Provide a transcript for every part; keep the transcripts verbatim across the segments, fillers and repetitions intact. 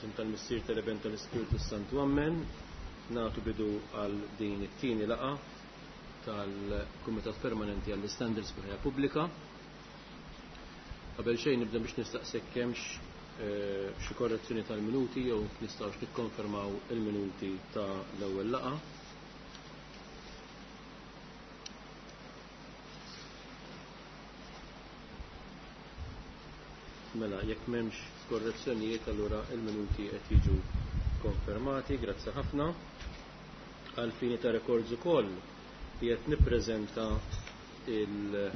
F'isem tal-Missier, tal-Iben, tal-Ispirtu Santu, Amen. Nagħtu bidu għal din it-tieni laqgħa tal-Kumitat Permanenti għall-Istandards fil-Ħajja Pubblika. Qabel xejn nibda biex nistaqsek hemmx eh, xi korrezzjoni tal-minuti jew nistgħux nikkonfermaw il-minuti ta' l-ewwel laqgħa. Mela, jekk m'hemmx korrezzjonijiet, allura il-minuti qed jiġu konfermati, grazzi ħafna. Għal fini ta' rekords ukoll qiegħed nippreżenta il-rapport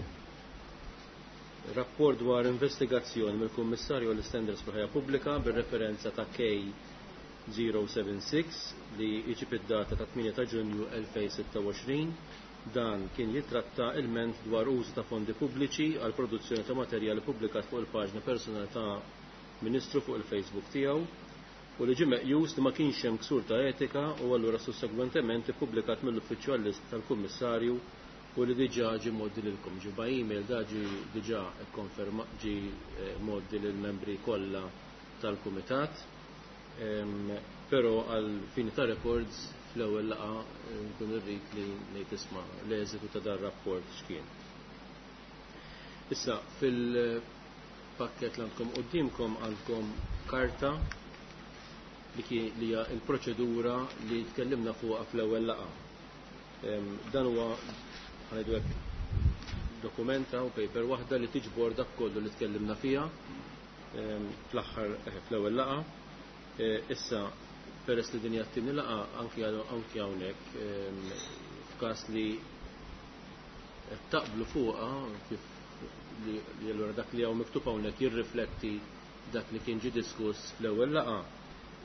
dwar investigazzjoni mill-Kummissarju għall-Istandards fil-Ħajja Pubblika bir-referenza ta' K zero seven six li jiġi id-data ta' tmienja ta' Ġunju elfejn sitta u għoxrin. Dan kien jitratta ilment dwar użu ta' fondi pubbliċi għal produzzjoni ta' materjali pubblikat fuq il-paġna personali ta' Ministru fuq il-Facebook tiegħu u li ġie meqjus li ma kienx hemm ksur ta' etika u allura sussegwentement ippubblikat mill-uffiċċju għall-lista tal-Kummissarju u li diġà ġie mgħoddi lilkom. Ġie by email, da ġie diġà ikkonferma, ġie, eh, mgħoddi lill-membri kollha tal-Kumitat. Ehm, però għal fini ta' records fl-ewwel laqgħa, eh, nkun irrid li ngħid isma' l-eżitu ta' dan rapport x'kien. Issa fil-pakket li għandkom quddiemkom għandkom karta li kien li hija l-proċedura li tkellimna fuqha fl-ewwel laqgħa. Ehm, dan huwa ħanejdu hekk dokumenta u paper waħda li tiġbor dak kollu li tkellimna fiha, ehm, fl-aħħar, eh, fl-ewwel laqgħa. Eh, issa peress li din hija t-tieni laqgħa anki għal-, anki hawnhekk, ehm, f'każ li qed taqblu fuqha kif li, li allura dak li hawn miktub hawnhekk jirrifletti dak li kien ġie diskuss fl-ewwel laqgħa.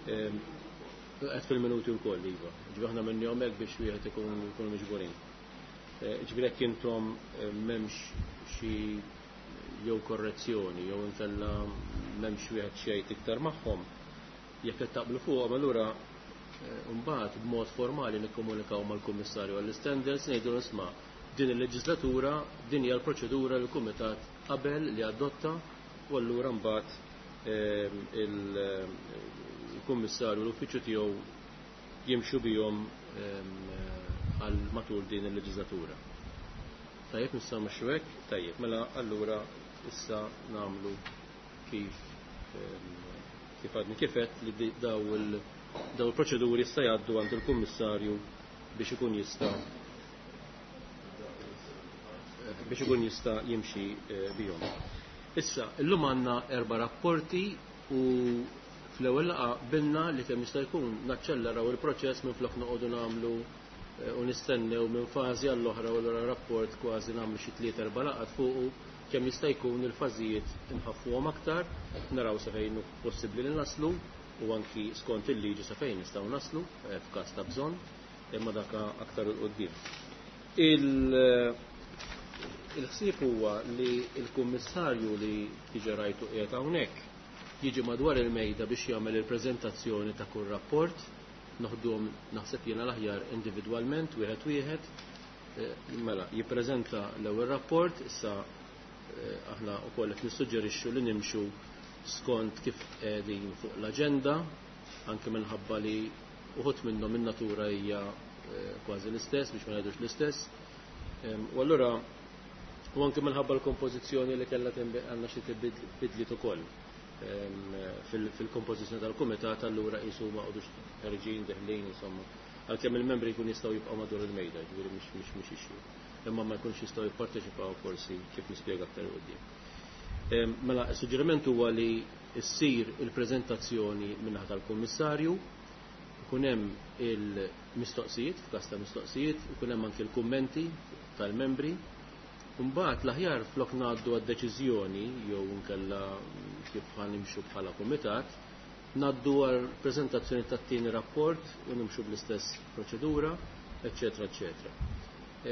Ehm, qed fil-minuti wkoll iva. Ġifieri aħna minnhom hekk biex wieħed ikun ikunu miġburin. Eh, ġifieri jekk intom, eh, m'hemmx xi jew korrezzjoni jew inkella m'hemmx wieħed xi jgħid iktar magħhom, jekk qed taqblu fuqhom allura, eh, mbagħad b'mod formali nikkomunikaw mal-Kummissarju għall-Istandards ngħidu isma' din il-leġislatura din hija l-proċedura li l-Kumitat qabel li adotta u allura mbagħad, ehm, il-Kummissarju u l-uffiċċju tiegħu jimxu bihom, ehm, għal matul din il-leġislatura. Tajjeb, nistgħu nimxu hekk? Tajjeb, mela allura issa nagħmlu kif, ehm, kif għadni kifet li di-, daw il-, daw il-proċeduri issa jgħaddu għand il-Kummissarju biex ikun jista' biex ikun jista' jimxi, eh, bihom. Issa, illum għandna erba' rapporti u fl-ewwel laqgħa qbilna li kemm jista' jkun naċċelleraw il-proċess minflok noqogħdu nagħmlu, eh, u nistennew minn fażi għall-oħra u allura rapport kważi nagħmlu xi tliet erba' laqgħat fuqu kemm jista' jkun il-fażijiet inħaffuhom aktar, naraw sa fejn hu possibbli li naslu u anki skont il-liġi sa fejn nistgħu naslu, eh, f'każ ta' bżonn, imma dak aktar 'il quddiem. Il-, il-ħsieb huwa li l-kummissarju li diġà rajtu qiegħed hawnhekk jiġi madwar il-mejda biex jagħmel il-preżentazzjoni ta' kull rapport, noħduhom naħseb jiena l-aħjar individwalment wieħed wieħed. Eh, mela, jippreżenta l-ewwel rapport, issa, eh, aħna wkoll qed nissuġġerixxu li nimxu skont kif qegħdin fuq l-aġenda, anke minħabba li uħud minnhom in-natura hija, eh, kważi l-istess, biex ma ngħidux l-istess. Em, u allura u anke minħabba l-kompożizzjoni li kellha tinbi-, għandna xi tibdil-, bidliet ukoll, em, fil-, fil-kompożizzjoni tal-kumitat, allura qisu ma qogħdux ħerġin deħlin, insomma, għalkemm il-membri jkun jistgħu jibqgħu madwar il-mejda, jiġifieri mhix, mhix, mhix issue. Imma ma jkunx jistgħu jipparteċipaw forsi kif nispjega aktar 'il quddiem. Em, mela, is-suġġeriment huwa li ssir il-preżentazzjoni min-naħa tal-Kummissarju, ikun hemm il-mistoqsijiet, f'każ ta' mistoqsijiet, ikun hemm anke l-kummenti tal-membri. Imbagħad l-aħjar flok ngħaddu għad-deċiżjoni jew inkella kif ħanimxu bħala kumitat, ngħaddu għal preżentazzjoni tat-tieni rapport u nimxu bl-istess proċedura, eċċetera, eċċetera.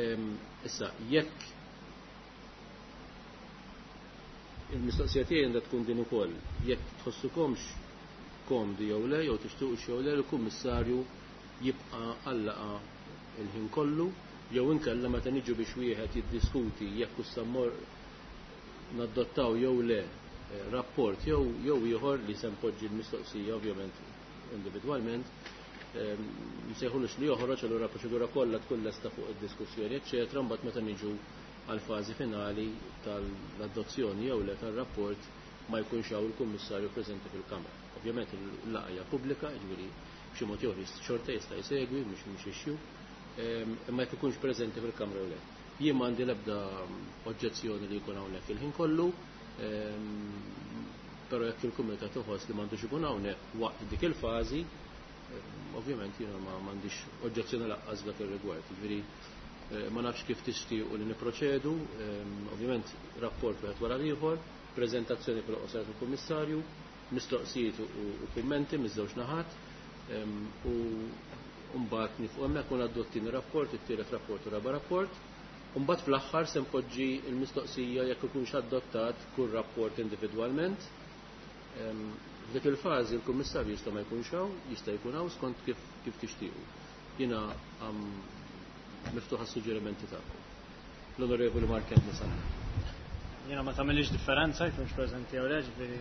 Ehm, issa, jekk il-mistoqsija tiegħi għandha tkun din ukoll, jekk tħossukomx komdi jew le, jew tixtuqux jew le, il-kummissarju jibqa' għallaqa il-ħin kollu, jew inkella meta niġu biex wieħed jiddiskuti jekk issa mmor nadottaw jew le rapport jew jew ieħor li se npoġġi l-mistoqsija ovvjament individwalment, nsejħulux li joħroġ, allura proċedura kollha tkun lesta fuq id-diskussjoni, eċċetera, mbagħad meta niġu għal fażi finali tal-adozzjoni jew le tar-rapport ma jkunx hawn il-kummissarju preżenti fil-Kamra. Ovvjament il-laqgħa hija pubblika, jiġifieri b'xi mod jew xorta jista' jsegwi, mhux mhux issue, imma jekk ikunx preżenti fil-Kamra jew le. Jien m'għandi l-ebda oġġezzjoni li jkun hawnhekk il-ħin kollu, però jekk il-kumitat iħoss li m'għandux ikun hawnhekk waqt dik il-fażi, ovvjament jiena ma m'għandix oġġezzjoni laqqas dak ir-rigward. Jiġifieri ma nafx kif tixtiequ li niproċedu, ovvjament rapport wieħed wara l-ieħor, preżentazzjoni fil-qosor tal-Kummissarju, mistoqsijiet u kummenti miż-żewġ naħat, u mbagħad nifqu hemmhekk u ngħaddu t-tieni rapport, it-tielet rapport u raba' rapport. U mbagħad fl-aħħar se npoġġi l-mistoqsija jekk ikunx adottat kull rapport individwalment. F'dik il-fażi l-Kummissarju jista' ma jkunx hawn, jista' jkun hawn skont kif kif tixtiequ. Jiena miftuħa suġġerimenti tagħkom. L-Onorevoli Mark Anthony Sant. Jiena ma tagħmilx differenza jkunx preżenti jew le, ġifieri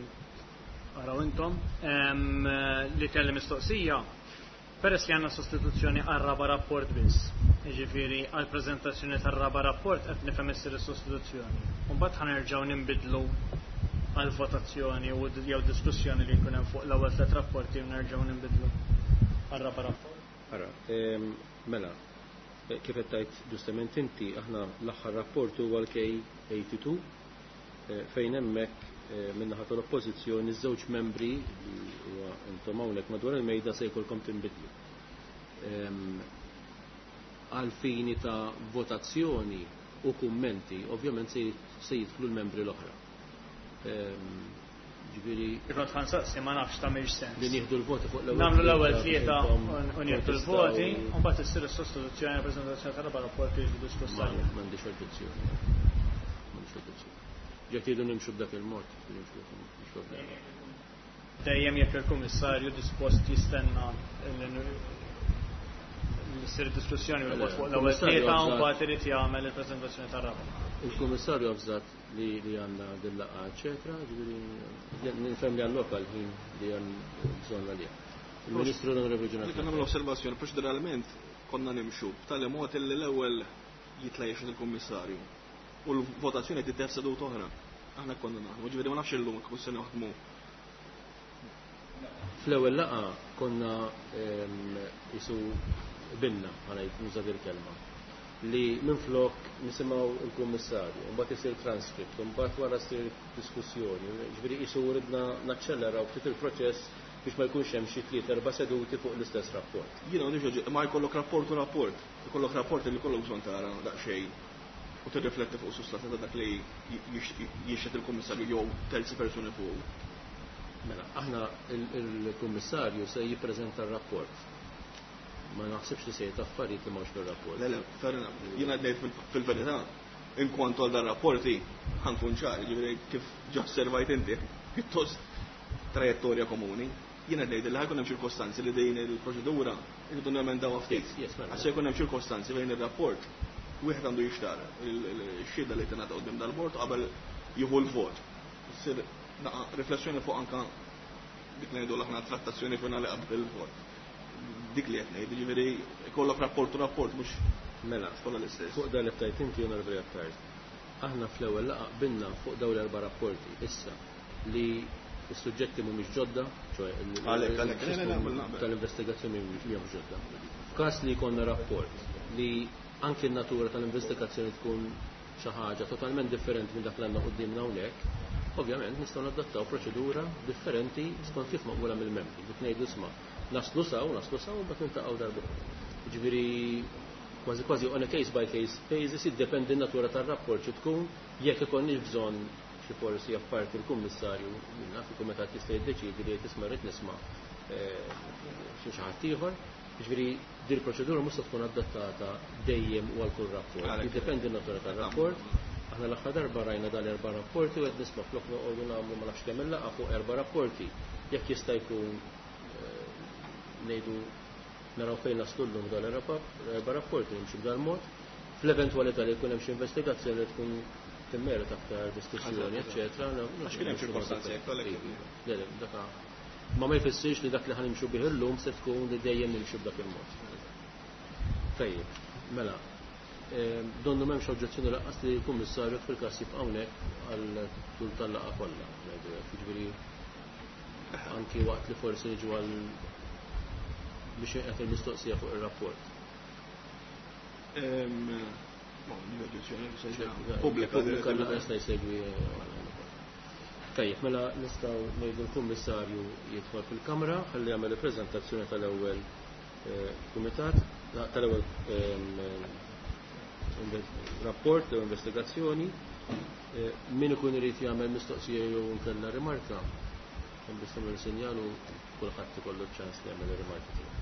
araw intom. Li kelli mistoqsija, peress li għandna sostituzzjoni għar-raba' rapport biss, jiġifieri għall-preżentazzjoni tar-raba' rapport qed nifhem issir is-sostituzzjoni. U mbagħad ħanerġgħu ninbidlu għal votazzjoni u jew diskussjoni li jkun hemm fuq l-ewwel tliet rapporti u nerġgħu ninbidlu għar-raba' rapport. Ara, mela, kif qed tgħid ġustament inti, aħna l-aħħar rapport huwa l-K eighty-two, fejn hemmhekk min-naħa tal-Oppożizzjoni żewġ membri li huwa intom hawnhekk madwar il-mejda se jkollkom tinbidlu. Għal fini ta' votazzjoni u kummenti, ovvjament se jidħlu l-membri l-oħra. Ġifieri Kont ħansaqsi ma nafx tagħmilx sens. Li nieħdu l-voti fuq l-ewwel. Nagħmlu l-ewwel tlieta u nieħdu l-voti, u mbagħad issir is-sostituzzjoni għall-preżentazzjoni tal-raba' rapport li jiġu diskuss għalih. M'għandix oġġezzjoni. M'għandix oġġezzjoni. Jekk tridu nimxu b'dak il-mod, nimxu mhux problema. Dejjem jekk il-Kummissarju dispost jistenna li ssir diskussjoni u l-vot fuq l-ewwel tlieta u mbagħad irid jagħmel il-preżentazzjoni tar-raba'. Il-Kummissarju avżat li li għandna din-laqgħa, eċetera, ġifieri nifhem li għall-lokal ħin li għand bżonn għalih. Il-Ministru l-Onorevoli Ġenat. Dik nagħmel osservazzjoni, proċeduralment konna nimxu b'tali mod li l-ewwel jitla' jixhed il-Kummissarju u l-votazzjoni titef seduta oħra. Aħna konna naħdmu, ġifieri ma nafx illum kif se naħdmu. Fl-ewwel laqgħa konna isu binna, ħanajt nuża il-kelma, li minflok nisimgħu il-Kummissarju, mbagħad isir transcript, mbagħad wara ssir diskussjoni, ġifieri isu ridna naċċelleraw ftit il-proċess biex ma jkunx hemm xi tliet erba' seduti fuq l-istess rapport. Jiena m'għandix, ma jkollok rapport u rapport, jkollok rapport li jkollok bżonn tara daqsxejn u tirrifletti fuq sustanza ta' dak li jixhed il-Kummissarju jew terzi persuni fuq. Mela, aħna il-Kummissarju se jippreżenta r-rapport. Ma naħsibx li se jgħid affarijiet li m'hawnx fir-rapport. Le, le, fair enough. Jiena ngħid fil-verità, inkwantu għal dan rapporti ħankun ċar, ġifieri kif ġa osservajt inti, pjuttost trajettorja komuni. Jiena ngħid li ħajkun hemm ċirkostanzi li din il-proċedura irridu nemendaw ftit. Għax se jkun hemm ċirkostanzi fejn ir-rapport wieħed għandu jixtar il-xhieda li tingħata quddiem dal-bord qabel jieħu l-vot. Issir riflessjoni fuq anka dik li ngħidu aħna trattazzjoni finali qabel il-vot. Dik li qed ngħid, jiġifieri jkollok rapport u rapport mhux mela kollha l-istess. Fuq dan li tajt inti Onorevoli Attard. Aħna fl-ewwel laqgħa qbilna fuq dawn l-erba' rapporti issa li s-suġġetti mhumiex ġodda, ċoe tal-investigazzjoni mhumiex ġodda. F'każ li jkollna rapport li anki n-natura tal-investigazzjoni tkun xi ħaġa totalment differenti minn dak li għandna quddiemna hawnhekk, ovvjament nistgħu nadattaw proċedura differenti skont kif maqbula mill-membri. Dik ngħidu isma' naslu saw, naslu saw, mbagħad niltaqgħu darba. Jiġifieri kważi kważi on a case by case basis jiddependi n-natura tar-rapport xi tkun, jekk ikollniex bżonn xi forsi apparti l-kummissarju, naf il-kumitat jista' jiddeċiedi li tisma' rrid nisma' xi xi ħadd ieħor. Jiġifieri din il-proċedura mhux se tkun adattata dejjem u għal kull rapport. Jiddependi n-natura tar-rapport. Aħna l-aħħar darba rajna dan erba' rapporti u qed nisma' flok noqogħdu nagħmlu ma nafx kemm il-laqgħa fuq erba' rapporti. Jekk jista' jkun ngħidu naraw fejn naslu llum dan erba' rapporti nimxu b'dan mod. Fl-eventwalità li jkun hemm xi investigazzjoni li tkun timmerita aktar diskussjoni, eċċetera. Għax kien hemm ċirkostanzi hekk għalhekk. Le, le, daka ma ma jfissirx li dak li ħanimxu bih illum se tkun li dejjem nimxu b'dak il-mod. Tajjeb, mela, donnu m'hemmx oġġezzjoni lanqas li l-Kummissarju fil-każ jibqa' hawnhekk għal tul tal-laqgħa kollha. Jiġifieri anki waqt li forsi niġu għal biex qed il-mistoqsija fuq ir-rapport. Pubblika jista' jsegwi. Tajjeb, mela nistgħu ngħidu l-Kummissarju jidħol fil-Kamra ħalli jagħmel il-preżentazzjoni tal-ewwel kumitat, tal-ewwel rapport jew investigazzjoni. Min ikun irid jagħmel mistoqsija jew inkella rimarka, hemm biss tagħmel sinjal u kulħadd ikollu ċans li jagħmel ir-rimarka tiegħu.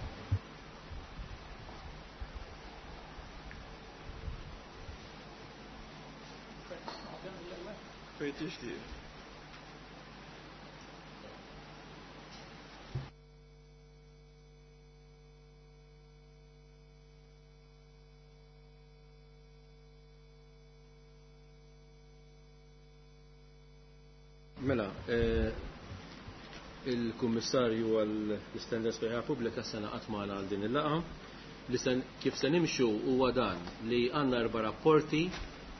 Fejn tixtieq. Mela, il-Kummissarju għall-Istandards fil-Ħajja Pubblika sena qatt magħna għal din il-laqgħa. Li kif se nimxu huwa dan li għandna erba' rapporti,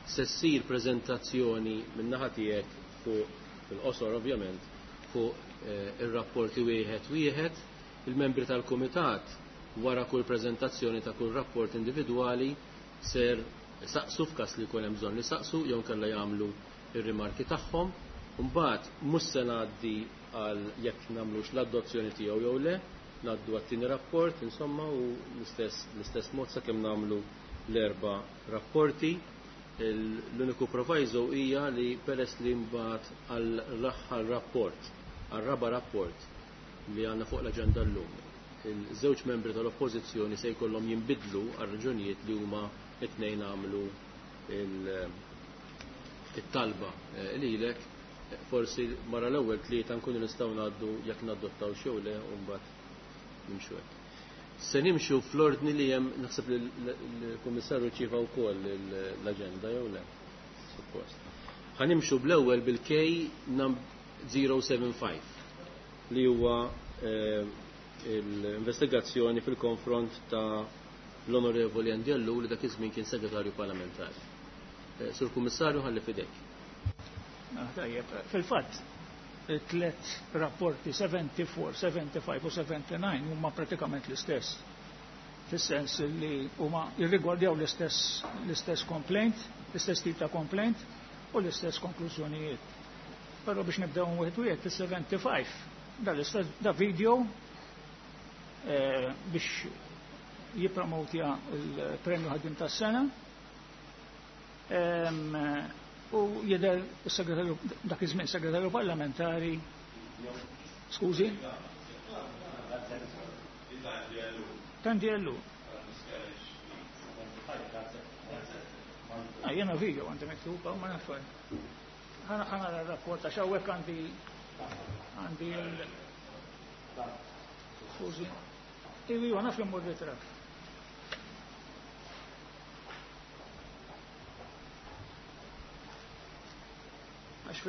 se ssir preżentazzjoni min-naħa tiegħek fuq fil-qosor ovvjament fuq ir-rapporti wieħed wieħed. Il-membri tal-kumitat wara kull preżentazzjoni ta' kull rapport individwali ser saqsu f'każ li jkun hemm bżonn li saqsu jew kellha jagħmlu ir-rimarki tagħhom. Mbagħad mhux se ngħaddi għal jekk nagħmlux l-adozzjoni tiegħu jew le, ngħaddu għat-tieni rapport, insomma, u l-istess l-istess mod sakemm nagħmlu l-erba' rapporti. L-uniku proviso hija li peress li mbagħad għall-aħħar rapport, għar-raba' rapport li għandna fuq l-aġenda llum, il-żewġ membri tal-Oppożizzjoni se jkollhom jinbidlu għal raġunijiet li huma t-tnejn għamlu it-talba lilek. Forsi mara l-ewwel tlieta nkunu nistgħu ngħaddu jekk nadottaw xew le u mbagħad nimxu hekk. Se nimxu fl-ordni li hemm, naħseb li l-Kummissarju ċieva wkoll l-aġenda jew le? Suppost. Ħa nimxu bl-ewwel bil-K zero seven five li huwa l-investigazzjoni fil-konfront ta' l-Onorevoli Andy Ellul li dak iż-żmien kien segretarju parlamentari. Sur Kummissarju, ħalli fidejk. Tajjeb, fil-fatt, tliet rapporti seventy-four, seventy-five u seventy-nine huma pratikament l-istess. Fis-sens li huma jirrigwardjaw l-istess l-istess complaint, l-istess tip ta' complaint u l-istess konklużjonijiet. Però biex nibdew wieħed wieħed, is-seventy-five da l-istess da video eh, biex jippromotja l-premju ħaddiem tas-sena. U jidher is-segretarju dak iż-żmien segretarju parlamentari. Skużi? Tandy Ellul. Ah, jiena video għandi miktuba u ma nafx. Ħana ħana r-rapport għax hawnhekk għandi għandi l Skużi. Iva, naf li mmur ritratt. Għax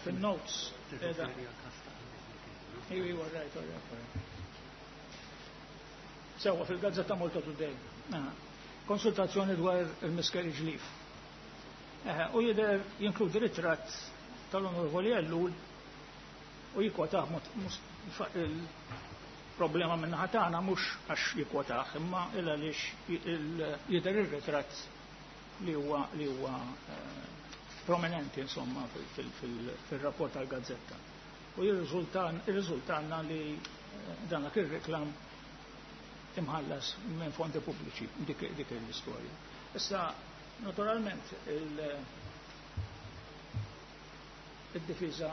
fil-notes. Iva, iva, right, right, right. Sewa fil-Gazzetta Malta Today. Konsultazzjoni dwar il-miscarriage leave. U jidher jinkludi ritratt tal-Onorevoli Ellul u jikwotaħ il-problema minnaħa tagħna mhux għax jikwotaħ, imma il għaliex jidher ir-ritratt li huwa li huwa prominenti insomma fil-rapport tal-Gazzetta. U jirriżultanna li dan ir-reklam imħallas minn fondi pubbliċi dik l-istorja. Issa, naturalment, il-difiża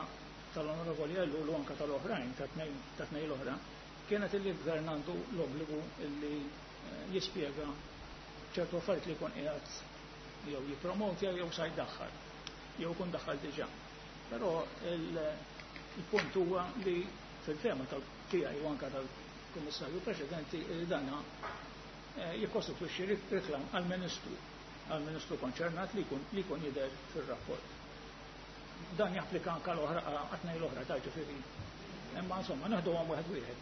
tal-Onorevoli Ellul u anka tal-oħrajn, ta' tnejn l-oħra, kienet illi l-gvern għandu l-obbligu illi jispjega ċertu affarijiet li jkun qiegħed jew jippromotja jew sa jdaħħal, jew jkun daħħal diġà. Però il-punt huwa li fil-fema tal-tiegħi u anka tal-Kummissarju Preċedenti li dana jikkostitwixxi reklam għall-Ministru. għall-Ministru konċernat li jkun li jkun jidher fir-rapport. Dan japplika anke l-oħra għat-tnejn l-oħra ta' ġifieri. Imma insomma neħduhom wieħed wieħed.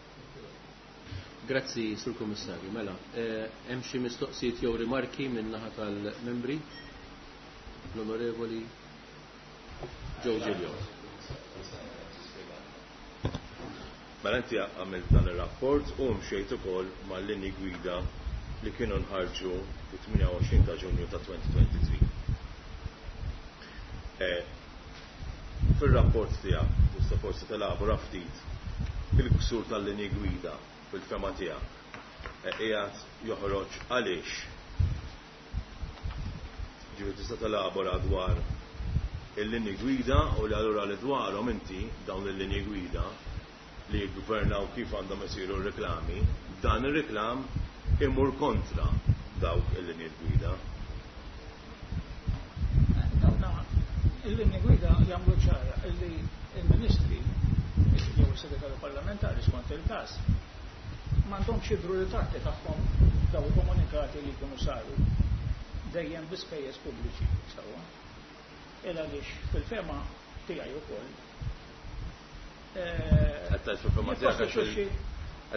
Grazzi, Sur Kummissarju. Mela, hemm xi mistoqsijiet jew rimarki min naħa tal-membri? L-Onorevoli Joe Giglio. Mela inti għamilt dan ir-rapport u mxejt ukoll mal-linji gwida li kienu nħarġu fit-tmienja u għoxrin ta' Ġunju ta' twenty twenty-three. Fil-rapport tiegħek tista' forsi telabora ftit il-ksur tal-linji gwida fil-fehma tiegħek qiegħed joħroġ għaliex. Ġifieri tista' telabora dwar il-linji gwida u li allura li dwarhom inti dawn il-linji gwida li jiggvernaw kif għandhom isiru r-reklami, dan ir-reklam imur kontra dawk il-linji gwida. Dawna il-linji gwida jagħmlu ċara illi il-ministri jew is-segretarju parlamentari skont il-każ m'għandhomx jidhru ritratti tagħhom daw il-komunikati li jkunu saru dejjem bi spejjeż pubbliċi sewwa. Il għaliex fil-fehma tiegħi wkoll. Qed tgħid fil-fehma tiegħek għax qed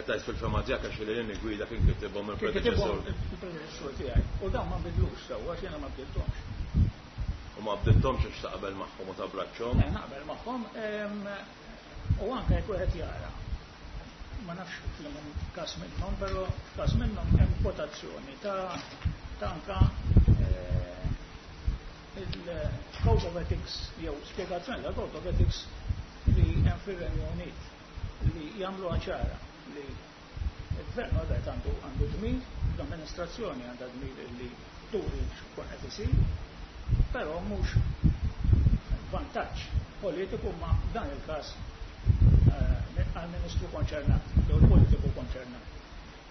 tgħid fil-fehma tiegħek għax il-linji gwida kien kitibhom il-predeċessur. Il-predeċessur tiegħi. U dawn ma nbidlux sewwa għax jiena ma bdilthomx. U ma bdilthomx għax taqbel magħhom u tabbraċċhom? Eh, naqbel magħhom u anke jekk wieħed jara. Ma nafx każ minnhom, però każ minnhom hemm kwotazzjoni ta' ta' anka il-Code of Ethics jew spjegazzjoni ta' Code of Ethics li hemm fir-Renju Unit li jagħmlu ċara li il-gvern għadet għandu għandu dmir, l-amministrazzjoni għandha dmir li turi x'kun qed isir, però mhux vantaġġ politiku ma dan il-każ għal-ministru konċernat, jew il-politiku konċernat.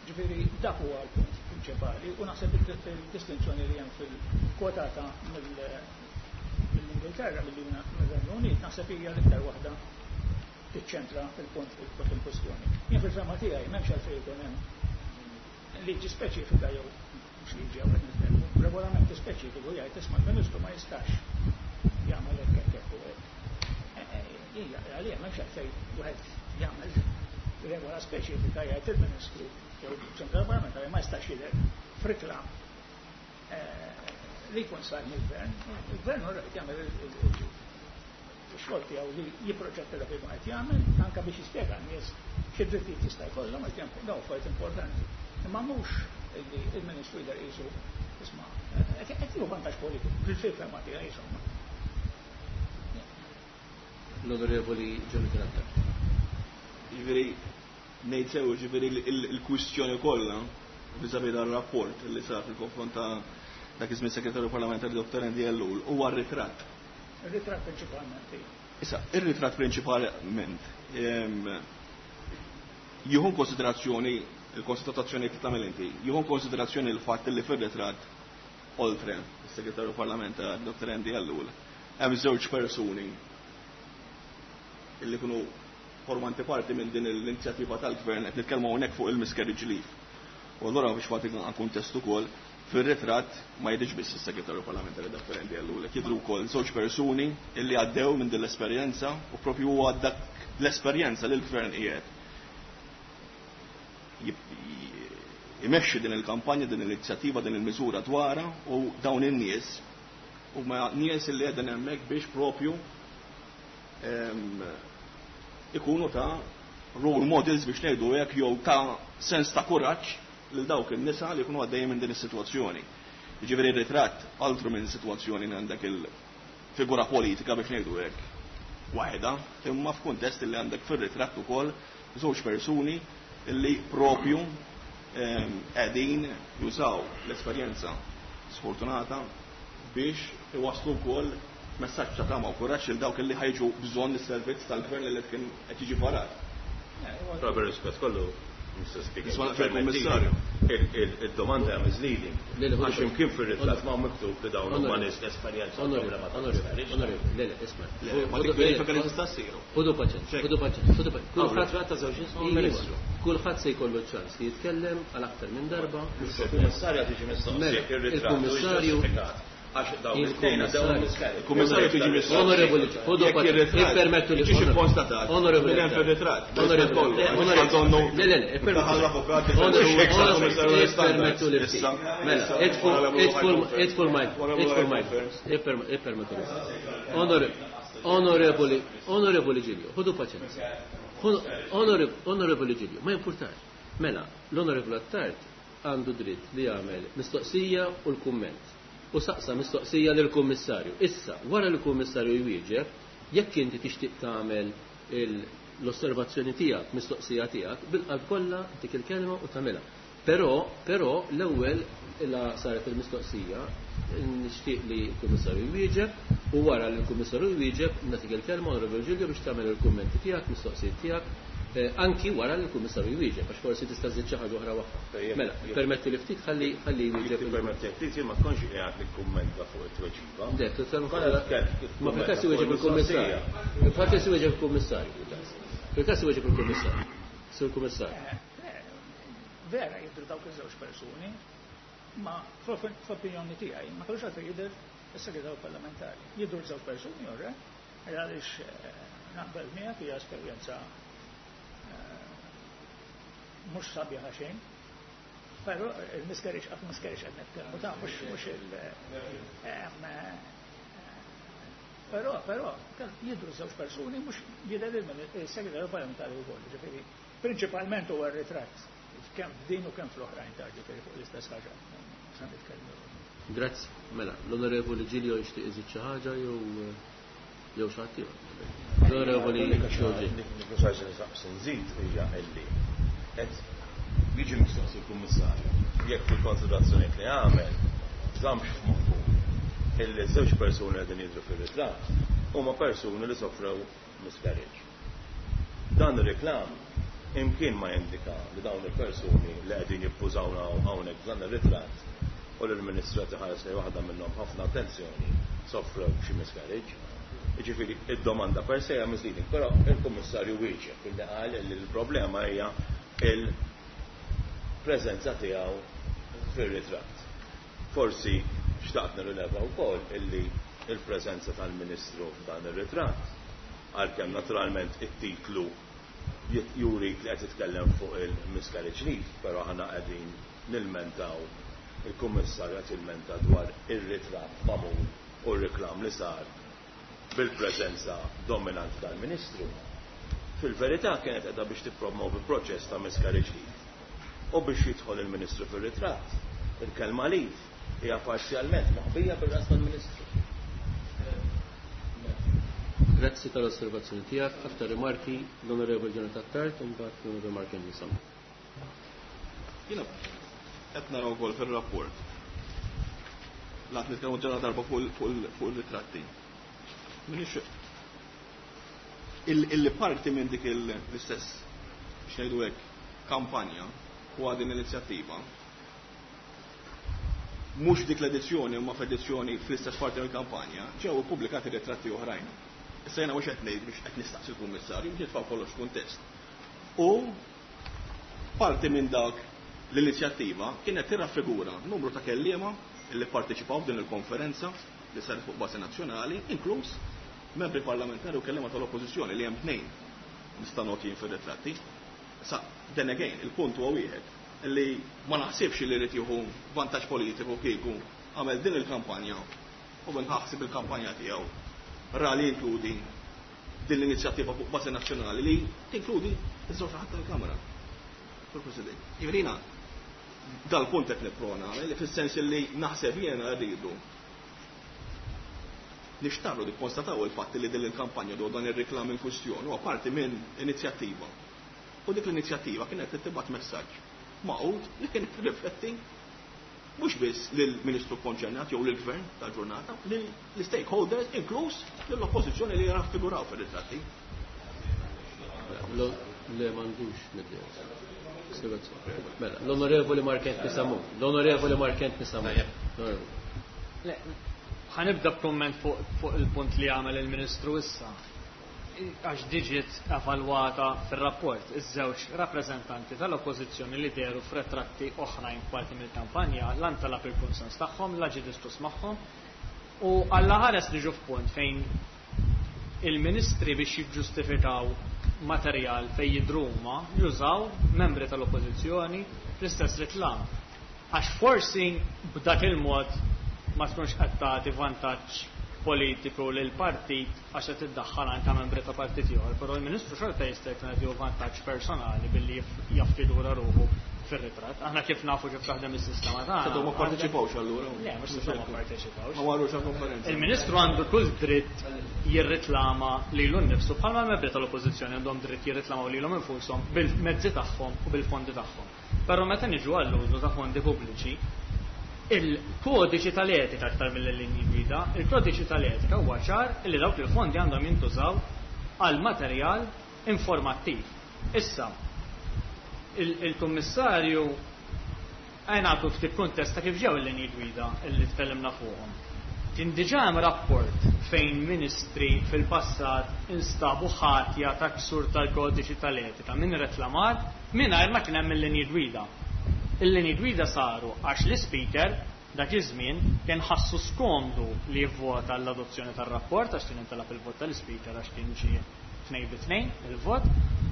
Ġifieri dak huwa l-punt prinċipali u naħseb il-distinzjoni li hemm fil-kwotata mill-Ingilterra, mill-Renju Unit, naħseb hija l-iktar waħda tiċċentra il-punt il-punt il-kwestjoni. Jien fil-fehma tiegħi m'hemmx għalfejn ikun hemm liġi speċifika jew mhux liġi hawn qed nitkellmu, regolamenti speċifiku jgħid isma' l-Ministru ma jistax jagħmel hekk hekk hekk u hekk. Hija għalija m'hemmx għalfejn wieħed jagħmel regola speċifika jgħid il-Ministru jew il-Ċentral Parlamentari ma jistax jidher f'riklam li jkun sar mill-gvern. Il-gvern hu jagħmel ix-xogħol tiegħu li jipproġetta dak li qed jagħmel anke biex jispjega n-nies xi drittijiet jista' jkollhom qed jagħmel dawn affarijiet importanti. Imma mhux li il-Ministru jidher qisu isma' qed jieħu vantaġġ politiku fil-fehma tiegħi insomma. L-Onorevoli Jonathan Attard. Ġifieri ngħid sew, ġifieri il-kwistjoni kollha vis-à-vis dar-rapport li sar fil-konfront ta' dak iż-żmien segretarju parlamentari Dottor Andy Ellul huwa r-ritratt. Ir-ritratt prinċipalment. Issa, ir-ritratt prinċipalment jieħu konsiderazzjoni il-konstatazzjoni li tagħmel inti, jieħu konsiderazzjoni l-fatt li fir-ritratt oltre is-segretarju parlamentari Dottor Andy Ellul hemm żewġ persuni illi kienu formanti parti minn din l-inizjattiva tal-gvern qed nitkellmu hawnhekk fuq il-miscarriage leave. U allura biex nagħtik kuntest ukoll, fir-ritratt ma jidhirx biss is-segretarju parlamentari Dottor Andy Ellul, jidhru wkoll żewġ persuni illi għaddew minn din l-esperjenza u propju huwa dak l-esperjenza li l-gvern qiegħed imexxi din il-kampanja, din l-inizjattiva, din il-miżura dwarha u dawn in-nies huma nies illi qegħdin hemmhekk biex propju ikunu ta' role models biex ngħidu hekk jew ta' sens ta' kuraġġ lil dawk in-nisa li jkunu għaddejjin minn din is-sitwazzjoni. Jiġifieri r-ritratt altru minn sitwazzjoni li għandek il-figura politika biex ngħidu hekk waħda, imma f'kuntest li għandek fir-ritratt ukoll żewġ persuni li propju qegħdin jużaw l-esperjenza sfortunata biex iwasslu wkoll messaġġ ta' tama u kuraġġ lil dawk li ħajġu bżonn is-servizz tal-gvern li kien qed jiġi varat. Però bir-rispett kollu, Mister Speaker, Nisma' naqbel, Kummissarju. Il-domanda hija misleading. Għax imkien fir-ritratt ma miktub li dawn huma nies esperjenza problema ta' miscarriage. Onorevoli, le, le, isma'. Ma dik verifika li tista' ssir. Ħudu paċenzja, ħudu paċenzja, ħudu paċenzja. Kulħadd ta' żewġ nies ministru. Kulħadd se jkollu ċans li jitkellem għal aktar minn darba. Il-kummissarju tiġi mistoqsi jekk ir-ritratt Il-kummissarju għax dawn it-tnejn għaddew miscarriage. Il-kummissarju tiġi mistoqsi. Onorevoli, ħudu paċenzja, ippermettu li ġiex ikkonstatat. Onorevoli, Minn hemm fir-ritratt. Onorevoli, onorevoli, le, le, le, ippermettu li ftit. Mela, idfu l-mic, idfu l-mic, ippermettu li. Onorevoli, onorevoli Giglio, ħudu paċenzja. Onorevoli Giglio, ma jimpurtax. Mela, l-onorevoli Attard għandu dritt li jagħmel mistoqsija u l-kumment. U saqsa mistoqsija lill-kummissarju. Issa, wara li l-kummissarju jwieġeb, jekk inti tixtieq tagħmel l-osservazzjoni tiegħek, mistoqsija tiegħek, bil-qalb kollha dik il-kelma u tagħmilha. Però, però l-ewwel la saret il-mistoqsija, nixtieq li l-kummissarju jwieġeb u wara li l-kummissarju jwieġeb nagħtik il-kelma Onorevoli Giglio biex tagħmel il-kummenti tiegħek, mistoqsijiet tiegħek, anki wara li l-kummissarju jwieġeb, għax forsi tista' żżid xi ħaġa oħra waħda. Mela, permetti li ftit ħalli ħalli jwieġeb. Permetti ftit jien ma tkunx qiegħed nikkummenta fuq it-tweġiba. Ma fil-każ iwieġeb il-kummissarju. Fil-każ iwieġeb il-kummissarju. Fil-każ iwieġeb il-kummissarju. Sur kummissarju. Vera jidhru dawk iż-żewġ persuni, ma fl-opinjoni tiegħi ma kellux għalfejn jidher is-segretarju parlamentari. Jidhru żewġ persuni orre, għaliex naqbel miegħek hija esperjenza mhux sabiħa xejn, però il-miscarriage qatt miscarriage qed nitkellmu ta' mhux mhux il però però jidhru żewġ persuni mhux jidher il-segretarju parlamentari wkoll, ġifieri prinċipalment huwa r-ritratt kemm f'din u kemm fl-oħrajn ta' ġifieri fuq l-istess ħaġa. Se nitkellmu. Grazzi. Mela, l-Onorevoli Giglio jixtieq iżid xi ħaġa jew jew xi ħadd ieħor. L-Onorevoli Giorgi. Nżid hija illi qed jiġi mistoqsi l-Kummissarju jekk fil-konsiderazzjonijiet li għamel żammx f'moħħu illi żewġ persuni qegħdin jidhru fir-ritratt huma persuni li sofrew miscarriage. Dan ir-reklam imkien ma jindika li dawn il-persuni li qegħdin jippużawna hawnhekk f'dan ir-ritratt u li l-Ministru qed iħares lejn waħda minnhom ħafna attenzjoni sofrew xi miscarriage. Jiġifieri id-domanda per se hija misleading, però il-Kummissarju wieġeb illi qal li l-problema hija il-preżenza tiegħu fir-ritratt. Forsi xtaqt nirrileva wkoll illi il-preżenza tal-Ministru f'dan ir-ritratt, għalkemm naturalment it-titlu juri li qed titkellem fuq il-miscarriage leave, però aħna qegħdin nilmentaw, il-Kummissarju qed jilmenta dwar ir-ritratt magħmul u r-reklam li sar bil-preżenza dominanti tal-Ministru. Fil-verità kienet qiegħda biex tippromovi proċess ta' miscarriage leave. U biex jidħol il-Ministru fir-ritratt, il-kelma leave hija parzjalment moħbija bil-ras tal-Ministru. Grazzi tal-osservazzjoni tiegħek. Aktar rimarki l-Onorevoli Jonathan Attard u mbagħad l-Onorevoli Mark Henderson. Jiena qed naraw ukoll fir-rapport. Lat nitkellmu ġara darba fuq il-ritratti. Minix il-parti minn dik l-istess biex ngħidu hekk kampanja u din l-inizjattiva mhux dik l-edizzjoni imma f'edizzjoni fl-istess parti mill-kampanja ġew ippubblikati ritratti oħrajn. Issa jiena mhux qed ngħid biex qed nistaqsi l-Kummissarju biex nitfgħu kollox kuntest. U parti minn dak l-inizjattiva kienet tirraffigura numru ta' kelliema li pparteċipaw f'din il-konferenza li saret fuq bażi nazzjonali, inkluż membri parlamentari u kelliema tal-Oppożizzjoni li hemm tnejn nista' noti jien fir-ritratti. Sa then again, il-punt huwa wieħed li ma naħsibx li jrid jieħu vantaġġ politiku kieku għamel din il-kampanja u minn ħaħsib il-kampanja tiegħu ra li jinkludi din l-inizjattiva fuq bażi nazzjonali li tinkludi iż-żewġ naħat tal-Kamra. Sur President, jiġifieri dal-punt qed nipprova nagħmel li fis-sens li naħseb jiena rridu nixtarru nikkonstataw il-fatt li din il-kampanja dwar dan ir-reklam in kwistjoni huwa parti minn inizjattiva. U dik l-inizjattiva kienet tibgħat messaġġ maqud li kien rifletti mhux biss lill-Ministru konċernat jew lill-Gvern tal-ġurnata, lill-stakeholders inkluż lill-oppożizzjoni li raffiguraw fir-ritratti. Le m'għandux mid-dejja. Mela, l-Onorevoli Mark Anthony Sammut. L-Onorevoli Mark Anthony Sammut. Le, ħa nibda b'komment fuq il-punt li għamel il-Ministru issa. Għax diġiet evalwata fil-rapport, iż-żewġ rappreżentanti tal-Oppożizzjoni li dehru f'retratti oħrajn parti mill-kampanja la ntalab il-kunsens tagħhom, la ġie diskuss magħhom, u alla ħares niġu f'punt fejn il-ministri biex jiġġustifikaw materjal fejn jidhru huma jużaw membri tal-Oppożizzjoni fl-istess reklam. Għax forsi b'dak il-mod ma tkunx qed tagħti vantaġġ politiku lil partit għax qed iddaħħal anke membri ta' partit ieħor, però l-Ministru xorta jista' jkun qed jieħu vantaġġ personali billi jaffigura ruħu fir-ritratt. Aħna kif nafu kif taħdem is-sistema tagħna. Setgħu ma pparteċipawx allura. Le, mhux setgħu ma pparteċipawx. Ma marrux għall-konferenza. Il-Ministru għandu kull dritt jirriklama lilu nnifsu bħalma l-membri tal-Oppożizzjoni għandhom dritt jirriklamaw lilhom infushom bil-mezzi tagħhom u bil-fondi tagħhom. Però meta niġu għall-użu ta' fondi pubbliċi, il-kodiċi tal-etika aktar mill-linji gwida, il-kodiċi tal-etika huwa ċar li dawk il-fondi għandhom jintużaw għal materjal informattiv. Issa, il-Kummissarju għajnatu ftit kuntest ta' kif ġew il-linji gwida li tkellimna fuqhom. Kien diġà hemm rapport fejn ministri fil-passat instabu ħatja ta' ksur tal-kodiċi tal-etika minn reklamar mingħajr ma kien hemm il-linji gwida. Il-linji gwida saru għax l-Speaker dak iż-żmien kien ħassu skomdu li jivvota l-adozzjoni tar-rapport għax kien intalab il-vot tal-Speaker għax kien ġie tnejn bi tnejn il-vot,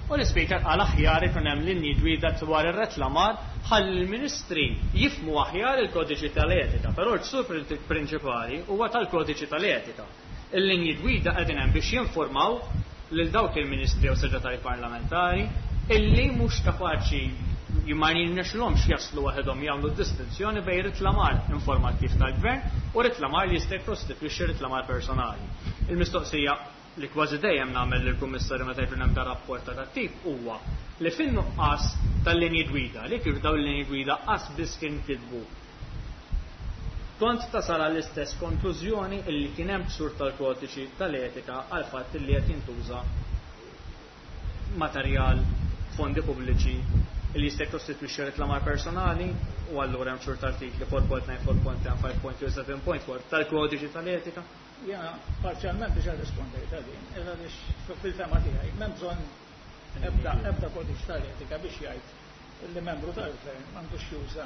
u l-Speaker qal aħjar ikun hemm linji gwida dwar ir-reklamar ħalli l-ministri jifhmu aħjar il-kodiċi tal-etika, però l-ksur prinċipali huwa tal-kodiċi tal-etika. Il-linji gwida qegħdin hemm biex jinformaw lil dawk il-ministri u segretarji parlamentari illi mhux kapaċi ma jirnexxilhomx jaslu waħedhom jagħmlu distinzjoni bejn reklamar informattiv tal-gvern u reklamar li jista' jikkostitwixxi reklamar personali. Il-mistoqsija li kważi dejjem nagħmel lill-Kummissarju meta jkun hemm dan rapport ta' dat-tip huwa li fin-nuqqas tal-linji gwida, li kif dawn il-linji gwida qas biss kien kitbu, kont tasal għall-istess konklużjoni illi kien hemm ksur tal-kodiċi tal-etika għal fatt li qed jintuża materjal fondi pubbliċi li jista' jikkostitwixxi reklamar personali, u allura hemm ksur tal-artikli four point nine, four point ten, five point two, seven point four tal-kodiċi tal-etika. Jiena parzjalment diġà rispondejt għal din, għaliex fil-fema tiegħi m'hemm bżonn ebda ebda kodiċi tal-etika biex jgħid li membru tal-gvern m'għandux juża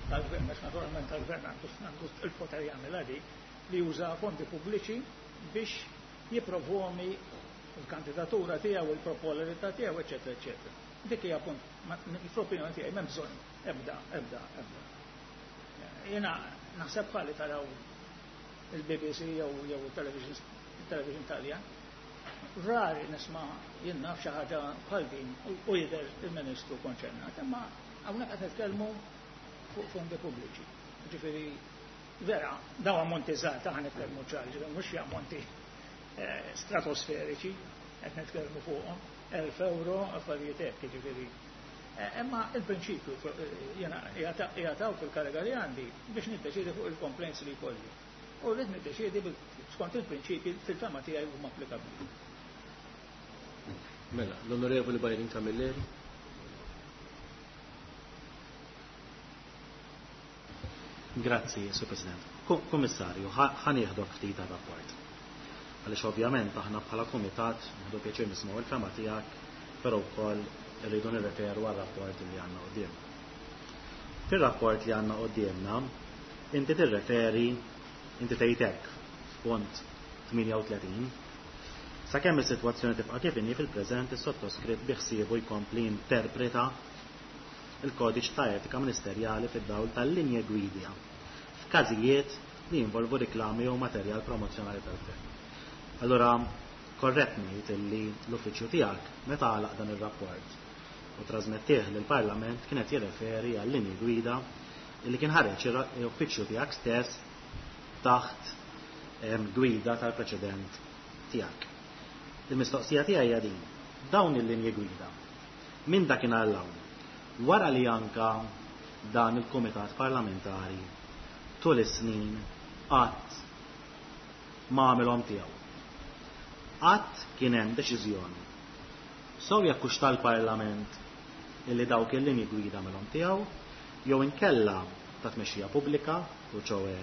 tal-gvern, għax naturalment tal-gvern għandu il-poter jagħmel dik, li juża fondi pubbliċi biex jipprovomi l-kandidatura tiegħu, il-popolarità tiegħu, eċetera, eċetera. Dik hija punt, fl-opinjoni tiegħi m'hemm bżonn ebda, ebda, ebda. Jiena naħseb bħali taraw il-B B C jew jew il-television, il-television Taljan. Rari nisma' jien naf xi ħaġa bħal din u jidher il-Ministru konċernat, imma hawnhekk qed nitkellmu fuq fondi pubbliċi. Ġifieri vera, dawn ammonti żgħar ta' nitkellmu ċar, ġifieri mhux xi ammonti stratosferiċi qed nitkellmu fuqhom, elf euro, affarijiet hekk, jiġifieri. Imma il-prinċipju jiena jagħtaw fil-kariga li għandi biex niddeċiedi fuq il-complaints li jkolli. U rrid niddeċiedi skont il-prinċipji fil-fema tiegħi huma applikabbli. Mela, l-Onorevoli Byron Camilleri. Grazzi, Sur President. Kummissarju, ħa nieħdok ftit għar-rapport. Għaliex ovvjament aħna bħala kumitat nieħdu pjaċir nismgħu il-fema tiegħek, però wkoll irridu nirreferu għar-rapport li għandna qudiemna. Fir-rapport li għandna qudiemna, inti tirreferi, inti tgħid hekk f'punt tmienja u tletin, sakemm is-sitwazzjoni tibqa' kif inhi fil-preżent is-sottoskritt biħsiebu jkompli interpreta il-kodiċ ta' etika ministerjali fid-dawl tal-linja gwida f'każijiet li jinvolvu riklami jew materjal promozzjonali tal-gvern. Allura, korrett ngħid illi l-uffiċċju tiegħek meta għalaq dan ir-rapport u trasmettih lill-Parlament kienet jirreferi għal linji gwida illi kien ħareġ l-uffiċċju tiegħek stess taħt, em, gwida tal-preċedent tiegħek. Il-mistoqsija tiegħi hija din: dawn il-linji gwida minn dakinhar l hawn, wara li anka dan il-Kumitat Parlamentari tul is-snin qatt ma għamilhom tiegħu. Qatt kien hemm deċiżjoni, sew jekk hux tal-Parlament illi dawk il-linji gwida għamilhom tiegħu, jew inkella ta' tmexxija pubblika, u ċowe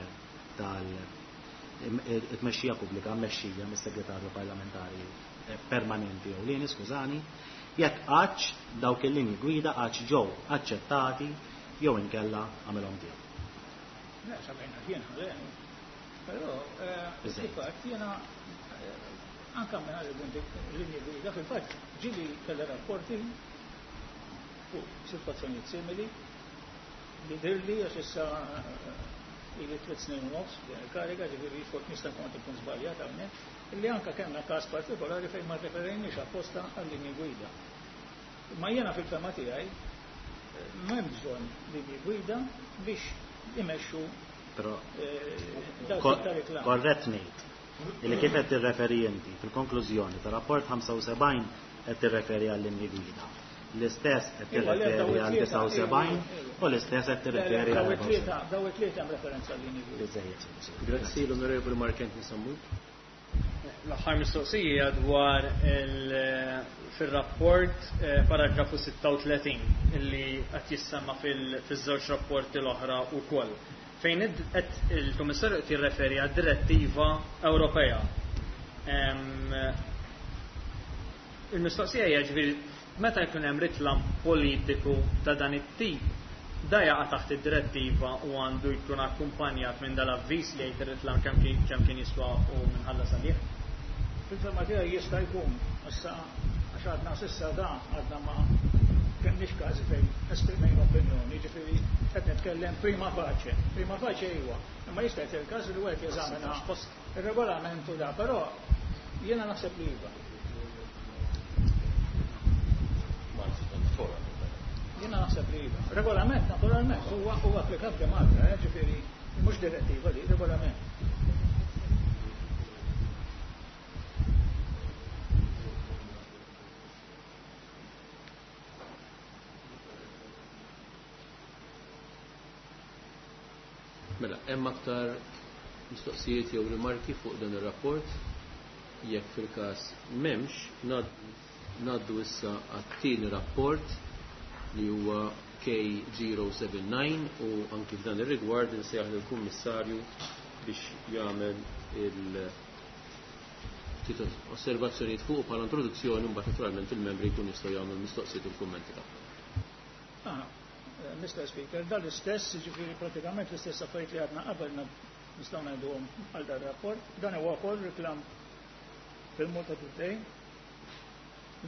tal-tmexxija pubblika mmexxija mis-segretarju parlamentari permanenti ewlieni, skużani, jekk qattx dawk il-linji gwida qattx ġew aċċettati jew inkella għamilhom tiegħu. Le, sabejna jien le. Però fil-fatt jiena anke minn linji gwida fil-fatt ġieli kelli rapporti fuq sitwazzjonijiet simili li dirli għax issa ili tliet snin u nofs din il-kariga, ġifieri fuq nista' nkun qed ikun żbaljat hawnhekk, illi anke kellna każ partikolari fejn ma rreferejniex apposta għal-linji gwida. Ma jiena fil-fema tiegħi m'hemm bżonn linji gwida biex imexxu Però dawk ta' reklam. Korrett ngħid illi kif qed tirreferi inti fil-konklużjoni ta' rapport ħamsa u sebgħin qed tirreferi għal-linji gwida. L-istess qed tirreferi għal disgħa u sebgħin u l-istess qed tirreferi għal Daw it-tlieta, daw it-tlieta hemm referenza għal-linji gwida. Biżejjed. Grazzi l-Onorevoli Mark Anthony Sammut. L-aħħar mistoqsija dwar fil-rapport paragrafu sitta u tletin illi qed jissemma fiż-żewġ rapporti l-oħra wkoll. Fejn qed il-Kummissarju qed jirreferi għad-direttiva Ewropea. Il-mistoqsija hija ġifieri meta jkun hemm ritlam politiku ta' dan it-tip, da jaqa' taħt id-direttiva u għandu jkun akkumpanjat minn dal-avviż li jgħid ir-ritlam kemm kien, kemm kien jiswa u minħallas għalih. Fil-fema tiegħi jista' jkun, issa għax għadna s'issa da għadna ma kenniex każi fejn esprimejna opinjoni, ġifieri qed nitkellem prima facie. Prima facie iwa, imma jista' jkun il-każ li wieħed jeżamina ir-regolament u da, però jiena naħseb li iva. Jiena naħseb li iva. Regolament naturalment huwa huwa applikabbli Malta, eh, ġifieri mhux direttiva li regolament. Mela, hemm aktar mistoqsijiet jew rimarki fuq dan ir-rapport? Jekk fil-każ m'hemmx, ngħaddu issa għat-tieni rapport li huwa K zero seven nine u anki f'dan ir-rigward insejjaħ lill-Kummissarju biex jagħmel il ftit osservazzjonijiet fuq bħala introduzzjoni u mbagħad naturalment il-membri jkunu jistgħu jagħmlu l-mistoqsijiet u l-kummenti tagħhom. Ah, Mister Speaker, dan l-istess, ġifieri pratikament l-istess affarijiet li għadna qabel nistgħu ngħiduhom għal dan ir-rapport. Dan huwa wkoll reklam fil-Malta Today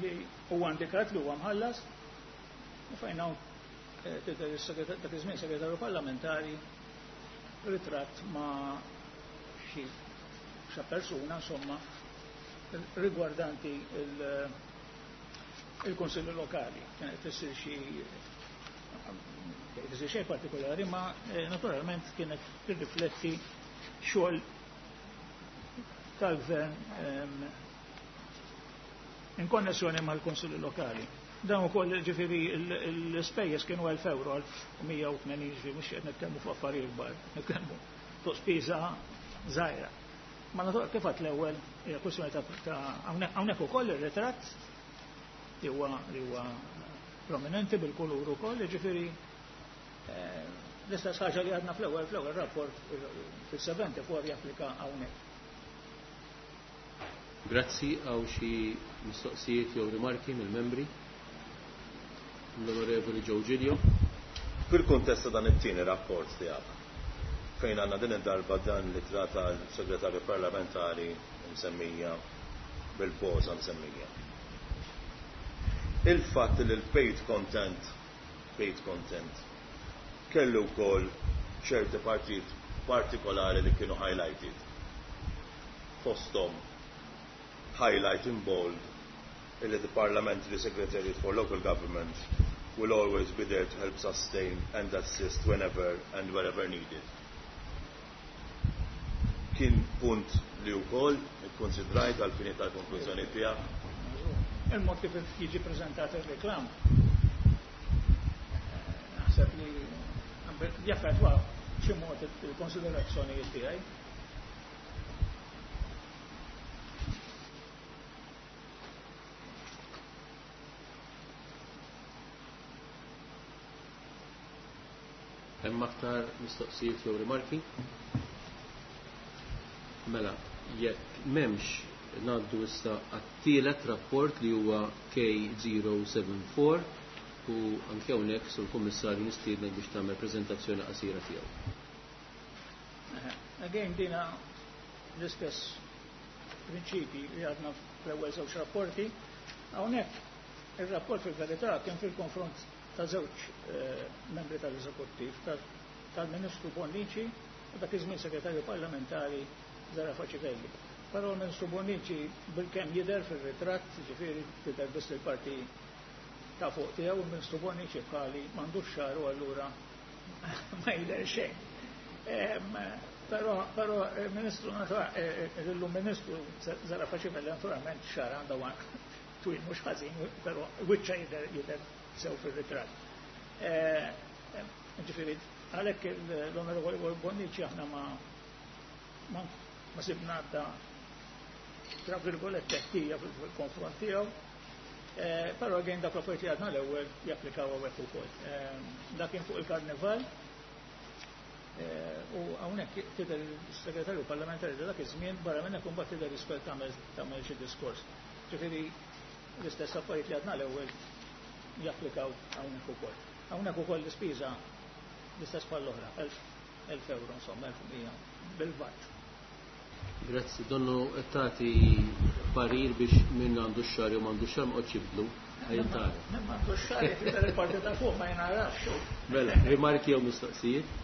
li huwa indikat li huwa mħallas u fejn hawn, eh, tidher is-segretar-, dak iż-żmien segretarju parlamentari ritratt ma' xi xa persuna, insomma, rigwardanti il-, il-Kunsilli Lokali. Kienet tissir xi tissir xejn partikolari, ma, eh, naturalment kienet tirrifletti xogħol tal-gvern, ehm, in konnessjoni mal-Kunsilli Lokali. Dan ukoll ġifieri l-ispejjeż kienu elf euro, elf u mija u tmenin, ġifieri mhux qed nitkellmu fuq affarijiet kbar, nitkellmu fuq spiża żgħira. Ma natu kif għedt l-ewwel hija kwestjoni ta', ta' hawnhekk, hawnhekk ukoll ir-ritratt li huwa, li huwa prominenti bil-kulur ukoll, ġifieri, eh, l-istess ħaġa li għadna fl-ewwel, fl-ewwel rapport fis-seventy-four japplika hawnhekk. Grazzi, għaw xi mistoqsijiet jew rimarki mill-membri? L-Onorevoli Joe Giglio. Fil-kuntest ta' dan it-tieni rapport tiegħek, fejn għandna din id-darba dan li trata l-segretarju parlamentari msemmija bil-poża msemmija. Il-fatt li l-paid content, paid content kellu wkoll ċerti partit partikolari li kienu highlighted. Fosthom highlight in bold illi the Parliamentary Secretariat for Local Government will always be there to help sustain and assist whenever and wherever needed. Kien punt li wkoll ikkonsidrajt għal fini tal-konklużjoni tiegħek. Il-mod kif jiġi preżentat ir-reklam. Naħseb li jaffettwa b'xi mod il-konsiderazzjonijiet tiegħi. Hemm aktar mistoqsijiet jew rimarki? Mela, jekk m'hemmx, ngħaddu issa għat-tielet rapport li huwa K zero seven four u anke hawnhekk sur Kummissarju nistiednek biex tagħmel preżentazzjoni qasira tiegħu. Again, dina l-istess prinċipi li għadna fl-ewwel żewġ rapporti. Hawnhekk ir-rapport fil-verità kien fil-konfront ta' żewġ, eh, membri tal-eżekuttiv, tal-Ministru Bonnici u dak iż-żmien Segretarju Parlamentari Zerafa Civelli. Però l-Ministru Bonnici bilkemm jidher fir-ritratt, ġifieri tidher biss il-parti ta' fuq tiegħu, il-Ministru Bonnici bħali m'għandux xagħar u allura ma jidher xejn. Em, però, però il-Ministru natura-, eh, eh, illum Ministru Zerafa Civelli naturalment xagħar għandha twil mhux ħażin, però wiċċa jidher, jidher sew fir-ritratt. Eh, ġifieri, għalhekk l-Onorevoli Bonnici aħna ma, ma, ma sibna għadda tra virgolette ħtija fil-konfront tiegħu. Eh, però għajn dak l-affarijiet li għadna l-ewwel japplikaw hawnhekk ukoll. Eh, dak kien fuq il-karnival. Eh, u hawnhekk tidher il-segretarju parlamentari ta' dak iż-żmien, barra minn hekk imbagħad tidher isfel tagħmel, tagħmel xi diskors. Ġifieri l-istess affarijiet li għadna l-ewwel japplikaw hawnhekk ukoll. Hawnhekk ukoll l-ispiża l-istess bħall-oħra, elf, elf euro, insomma, elf u mija bil-VAT. Grazzi, donnu qed tagħti parir biex min għandu x-xagħar jew m'għandu x-xagħar ma qgħodx jibdlu. Ħajntara. Min m'għandu x-xagħar jekk il-parti ta' fuq ma jingħarafx. Mela, rimarki jew mistoqsijiet?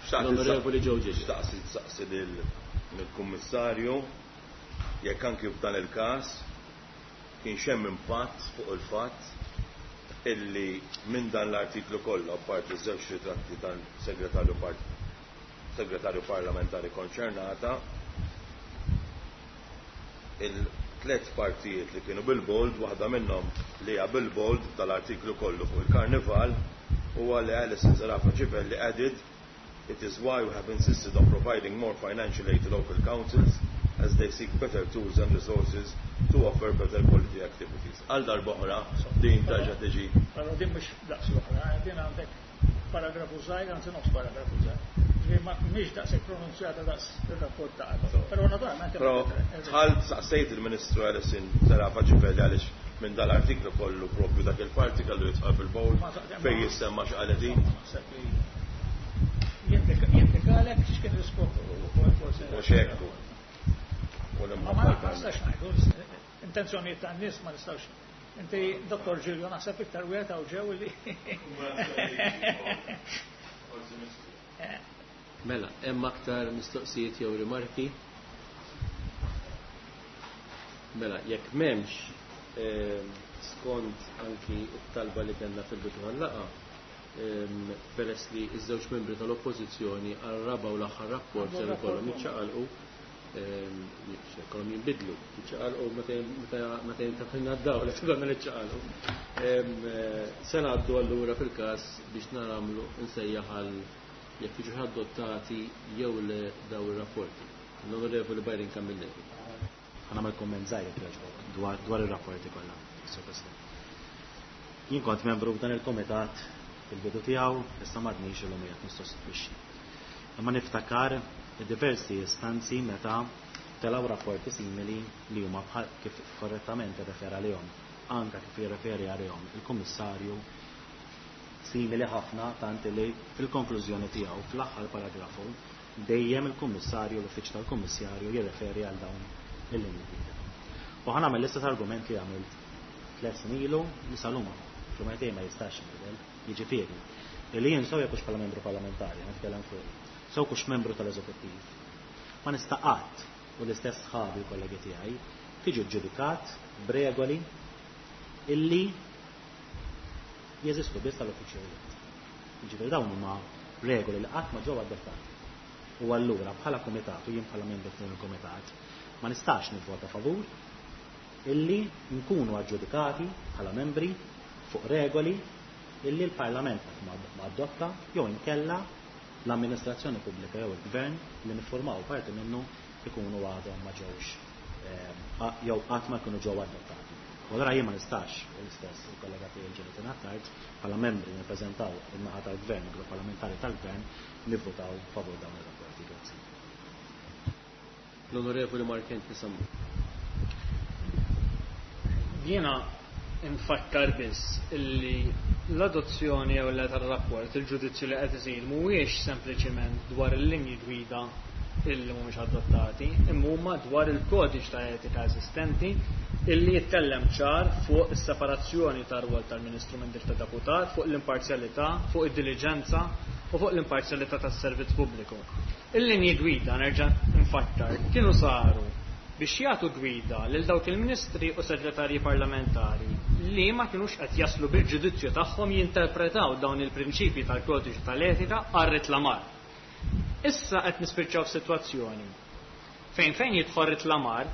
Xtaqt L-Onorevoli Joe Ġiġi. Xtaqsi tsaqsi lill-Kummissarju jekk anki f'dan il-każ kien hemm impatt fuq il-fatt illi minn dan l-artiklu kollu, apparti żewġ ritratti tal-segretarju par-, segretarju parlamentari konċernata, il-tliet partijiet li kienu bil-bold, waħda minnhom li hija bil-bold tal-artiklu kollu fuq il-karnival, huwa li Alison Zerafa Civelli added, It is why we have insisted on providing more financial aid to local councils as they seek better tools and resources to offer better quality activities. Għal darb'oħra din terġa' tiġi. Però din mhux daqs l-oħra, eh, din għandek paragrafu żgħir, anzi nofs paragrafu żgħir. Ġifieri ma mhix daqshekk pronunzjata daqs ir-rapport ta' qabel. Però naturalment Però dħalt saqsejt il-Ministru Alison Zerafa Civelli għaliex minn dal-artiklu kollu propju dak il-parti kellu jidħol fil-bowl Ma ta' fejn jissemma x'qalet hi. Naħseb li jindikalek x'kien l-iskop ukoll forsi. Mhux hekk. U Ma ma nistax ngħidu, intenzjonijiet tan-nies ma nistax. Inti, Dottor Giulio, naħseb iktar wieħed hawn ġew li. Mela, hemm aktar mistoqsijiet jew rimarki? Mela, jekk m'hemmx, ehm, skont anki t-talba li kellna fil-bidu tal-laqgħa, ehm, peress li ż-żewġ membri tal-Oppożizzjoni għar-raba' u l-aħħar rapport ser ikollhom jiċċaqalqu, ehm, jkollhom jinbidlu, jiċċaqalqu meta jin-, meta, meta jintafilna d-dawl, qed ikollna niċċaqalqu. Ehm, eh, se ngħaddu allura fil-każ biex nagħmlu nsejjaħ għal jekk jiġu adottati jew le daw ir-rapporti. L-Onorevoli Byron Camilleri. Ħa nagħmel komment żgħir jekk jogħġbok dwar, dwar ir-rapporti kollha, Sur President. Jien kont membru f'dan il-komitat fil-bidu tiegħu, issa m'għadniex illum qiegħed nissostitwixxi. Imma niftakar diversi istanzi meta telgħu rapporti simili li huma bħal kif korrettament irrefera għalihom, anke kif jirreferi għalihom il-Kummissarju, simili ħafna tant li fil-konklużjoni tiegħu fl-aħħar paragrafu dejjem il-Kummissarju, l-Uffiċċju tal-Kummissarju jirreferi għal dawn il-linji gwida. U ħa nagħmel l-istess argument li għamilt tliet snin ilu li sal-lum fl-Umartej ma jistax jinbidel, jiġifieri li jien sew jekk hux bħala membru parlamentari, nitkellem fuq, sew hux membru tal-eżekuttiv, ma nista' qatt u l-istess sħabi u kollegi tiegħi tiġi ġudikat b'regoli illi jeżistu biss tal-uffiċjalijiet. Jiġifieri dawn huma regoli li qatt ma ġew adottati. U allura bħala kumitat u jien bħala membru f'dan il-kumitat ma nistax nivvota favur illi nkunu aġġudikati bħala membri fuq regoli illi l-Parlament qatt ma, ma adotta jew inkella l-amministrazzjoni pubblika jew il-gvern li niffurmaw parti minnu ikunu għadhom ma ġewx, eh, jew qatt ma jkunu ġew adottati. U allura jien ma nistax, u l-istess il-kollega tiegħi Jonathan Attard, bħala membri nirrappreżentaw in-naħa tal-Gvern, il-grupp parlamentari tal-Gvern, nivvutaw favur dawn ir-rapporti. Grazzi. L-Onorevoli Mark Anthony Sammut. Jiena nfakkar biss illi l-adozzjoni jew le tar-rapport, il-ġudizzju li qed isir mhuwiex sempliċiment dwar il-linji gwida illi mhumiex adottati, imma huma dwar il-kodiċ ta' etika eżistenti illi jitkellem ċar fuq is-separazzjoni tar-rwol tal-Ministru minn dik ta' deputat, fuq l-imparzjalità, fuq id-diliġenza u fuq l-imparzjalità tas-servizz pubbliku. Il-linji gwida nerġa' nfakkar kienu saru biex jagħtu gwida lil dawk il-ministri u segretarji parlamentari li ma kinux qed jaslu bil-ġudizzju tagħhom jinterpretaw dawn il-prinċipji tal-kodiċi tal-etika għar-reklamar. Issa qed nispiċċaw f'sitwazzjoni fejn fejn jidħol reklamar,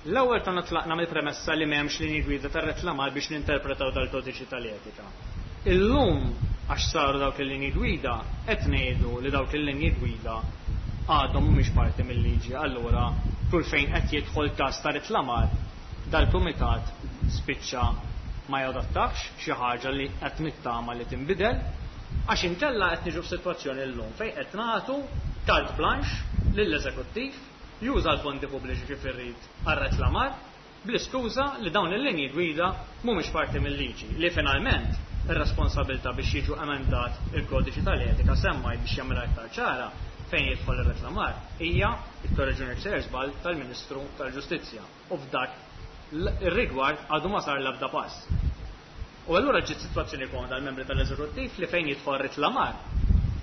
l-ewwel konna tlaqna mill-premessa li m'hemmx linji gwida tar-reklamar biex ninterpretaw dal-kodiċi tal-etika. Illum għax saru dawk il-linji gwida qed ngħidu li dawk il-linji gwida għadhom mhumiex parti mill-liġi, allura kull fejn qed jidħol każ ta' reklamar dal-kumitat spiċċa ma jadattax xi ħaġa li qed nittama li tinbidel, għax inkella qed niġu f'sitwazzjoni llum fejn qed nagħtu carte blanche lill-eżekuttiv juża l-fondi pubbliċi kif irrid għar-reklamar bl-iskuża li dawn il-linji gwida mhumiex parti mill-liġi, li finalment ir-responsabilità biex jiġu emendat il-kodiċi tal-etika semmaj biex jagħmilha iktar ċara fejn jidħol ir-reklamar hija it-korreġuni sejjer żball tal-Ministru tal-Ġustizzja u f'dak ir-rigward għadu ma sar l-ebda pass. U allura ġiet sitwazzjoni komda għall-membri tal-eżekuttiv li fejn jidħol reklamar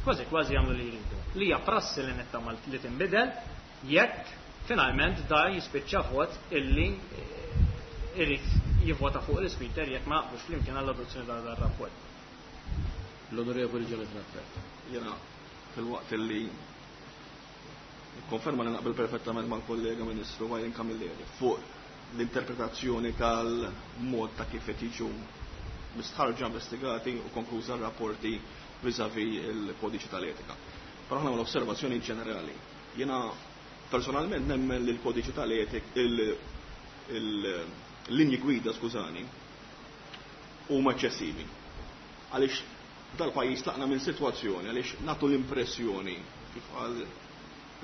kważi kważi jagħmlu li jridu. Li hija prassi li nittama li tinbidel jekk finalment da jispiċċa vot illi irid jivvota fuq l-ispeaker jekk ma naqblux flimkien għall-adozzjoni ta' dan rapport. L-Onorevoli Jonathan Attard. Jiena fil-waqt illi konferma li naqbel perfettament mal-kollega Ministru Byron Camilleri fuq l-interpretazzjoni tal-mod ta' kif qed jiġu mistħarġa, investigati u konkluża rapporti vis-à-vis il-kodiċi tal-etika. Però aħna l-osservazzjoni ġenerali. Jiena personalment nemmen li l-kodiċi tal-etik, il-linji gwida, skużani, huma eċċessivi. Għaliex dal-pajjiż tlaqna minn sitwazzjoni, għaliex nagħtu l-impressjoni, kif qal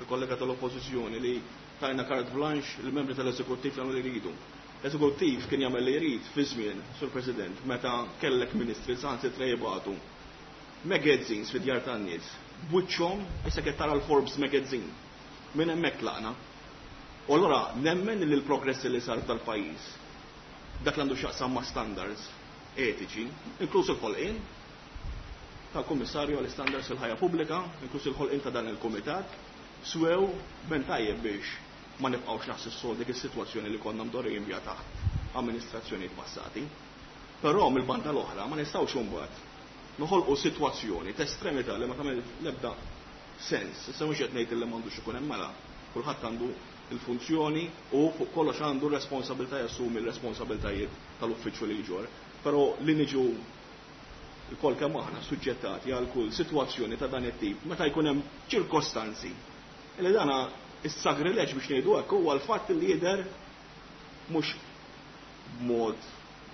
il-kollega tal-oppożizzjoni, li tajna carte blanche il-membri tal-eżekuttiv jagħmlu li jridu. L-eżekuttiv kien jagħmel li jrid fi żmien, Sur President, meta kellek ministri saħansitra jibgħatu magazines fid-djar tan-nies, b'wiċċhom issa qed tara l-Forbes magazine. Minn hemmhekk tlaqna. U allura nemmen li l-progress li sar tal-pajjiż, dak li għandu x'jaqsam ma' standards etiċi, inkluż il-ħolqien tal-Kummissarju għall-Istandards fil-ħajja pubblika, inkluż il-ħolqien ta' dan il-Kumitat, swew ben tajjeb biex ma nibqgħux naħsissu dik is-sitwazzjoni li konna mdorrijin biha taħt amministrazzjonijiet passati. Però mill-banda l-oħra ma nistgħux imbagħad noħolqu sitwazzjoni ta' estremità li ma tagħmel l-ebda sens. Issa mhux qed ngħid li m'għandux ikun hemm mela, kulħadd għandu il-funzjoni u fuq kollox għandu r-responsabilità jassumi l-responsabiltajiet tal-uffiċċju li jġor. Però li niġu lkoll kemm aħna suġġettati għal kull sitwazzjoni ta' dan it-tip meta jkun hemm ċirkostanzi li dana is-sagrileġ biex ngħidu hekk huwa l-fatt li jidher mhux b'mod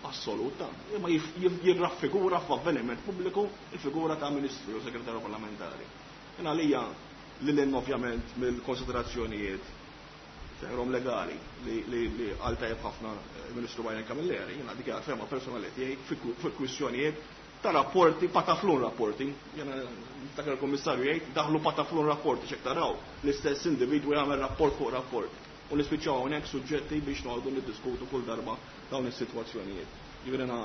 assoluta, imma jif-, jif-, jirraffigura f'avveniment pubbliku il-figura ta' ministru jew segretarju parlamentari. Jien għalija li l ovvjament mill-konsiderazzjonijiet seħrom legali li, li, li għal tajjeb ħafna il-Ministru Byron Camilleri, jiena dik hija fehma personali tiegħi fi ku-, fi kwistjonijiet ta' rapporti, pataflun rapporti. Jiena niftakar il-Kummissarju jgħid daħlu pataflun rapporti x'hekk taraw l-istess individwu jagħmel rapport fuq rapport. U nispiċċaw hawnhekk suġġetti biex noqogħdu niddiskutu kull darba dawn is-sitwazzjonijiet. Jiġifieri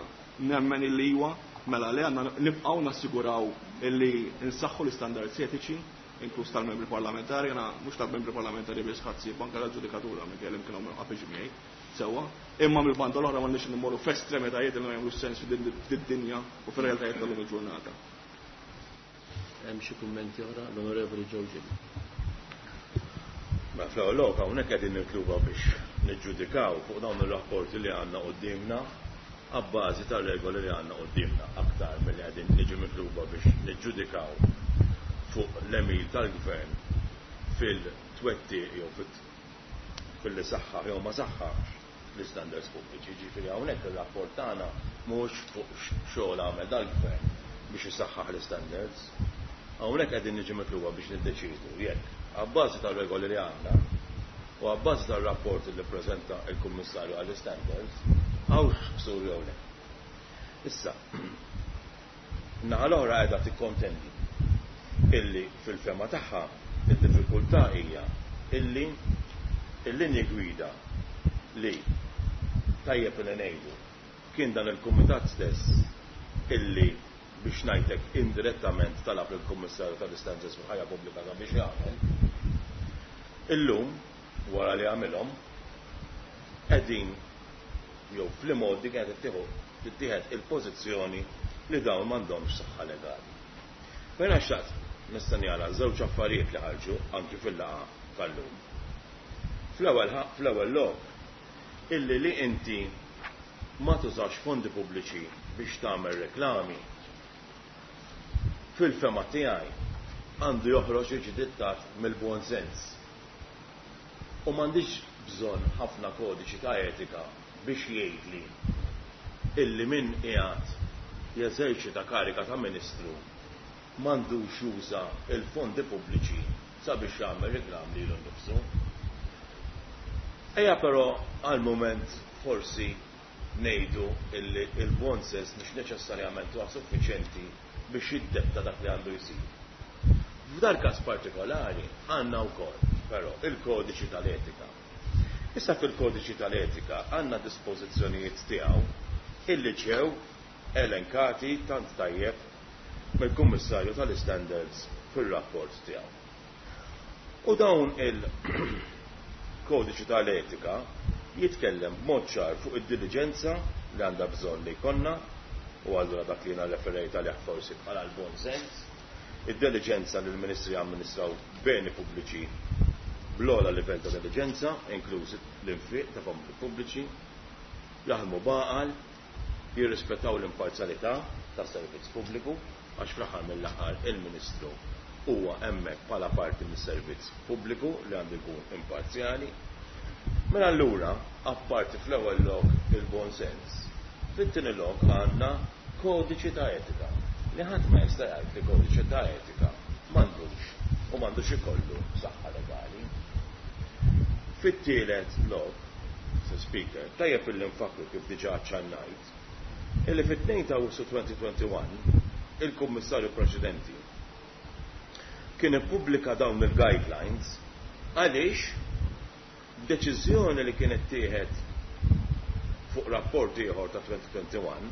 nemmen illi huwa mela li għandna nibqgħu nassiguraw illi nsaħħu l-istandards etiċi, inkluż tal-membri parlamentari, jiena mhux tal-membri parlamentari biss ħadd anke tal-ġudikatura minn kellem kienu għapiġ miegħi sewwa, imma mill-banda l-oħra m'għandniex nimmorru f'estremitajiet li ma jagħmlux sens fid-dinja u fir-realtajiet tal-lum il-ġurnata. Hemm xi kummenti oħra l-Onorevoli Joe Gilli. Ma fl-ewwel lok hawnhekk qegħdin nitluba biex niġġudikaw fuq dawn ir-rapporti li għandna quddiemna abbażi tar-regoli li għandna quddiemna aktar milli qegħdin niġu mitluba biex niġġudikaw fuq l-emil tal-gvern fil-twettiq jew fil-li saħħaħ jew ma saħħaħx l-istandards pubbliċi. Ġifieri hawnhekk ir-rapport tagħna mhux fuq xogħol għamel dal-gvern biex isaħħaħ l-istandards. Hawnhekk qegħdin niġu mitluba biex niddeċidu jekk abbażi tar-regoli li għandna u abbażi tar-rapport li ppreżenta l-Kummissarju għall-istandards hawnx ksur jew le. Issa, naħa l-oħra qiegħda tikkontendi illi fil-fema tagħha id-diffikultà hija illi il-linji gwida li tajjeb li ngħidu kien dan il-kumitat stess illi biex ngħidlek indirettament talab lill-Kummissarju tal-Istandards fil-ħajja pubblika biex jagħmel. Illum wara li għamilhom qegħdin jew fl-imgħoddi kienet ittieħu tittieħed il-pożizzjoni li dawn m'għandhomx saħħa legali. Mela xtaqt nistenni għala żewġ affarijiet li ħarġu anki fil-laqgħa tal-lum. Fl-ewwel fl-ewwel lok illi li inti ma tużax fondi pubbliċi biex tagħmel reklami fil-fema tiegħi għandu joħroġ jiġi dittat mill-buon sens. U m'għandix bżonn ħafna kodiċi ta' etika biex jgħidli illi min qiegħed jeżerċita karika ta' ministru m'għandux juża il-fondi pubbliċi sabiex jagħmel reklam lilu nnifsu. Ejja però għal mument forsi ngħidu illi il-buon sens mhux neċessarjament huwa suffiċjenti biex jiddetta dak li għandu jsir. F'dar każ partikolari għandna wkoll però il-kodiċi tal-etika. Issa fil-kodiċi tal-etika għandna dispożizzjonijiet tiegħu illi ġew elenkati tant tajjeb mill-Kummissarju tal-Istandards fir-rapport tiegħu. U dawn il-kodiċi tal-etika jitkellem b'mod ċar fuq id-diligenza li għandha bżonn li jkollna, u allura dak li jiena referejt għalih forsi bħala l-bon sens, id-diligenza li l-ministri jamministraw beni pubbliċi bl-ogħla livell ta' diligenza, inkluż l-infiq ta' fondi pubbliċi, jaħdmu b'għaqal, jirrispettaw l-imparzjalità tas servizz pubbliku, għax fl-aħħar mill-aħħar il-Ministru huwa hemmhekk bħala parti mis-servizz pubbliku li għandu jkun imparzjali. Mela allura, apparti fl-ewwel lok il-bon sens, fit-tieni lok għandna kodiċi ta' etika li ħadd ma jista' jgħid li kodiċi ta' etika m'għandux u m'għandux ikollu saħħa legali. Fit-tielet lok, Sir Speaker, tajjeb illi nfakru kif diġà aċċennajt, illi fit-tnejn ta' Awwissu twenty twenty-one il-Kummissarju preċedenti kien ippubblika dawn il-guidelines għaliex deċiżjoni li kienet tieħed fuq rapport ieħor ta' twenty twenty-one,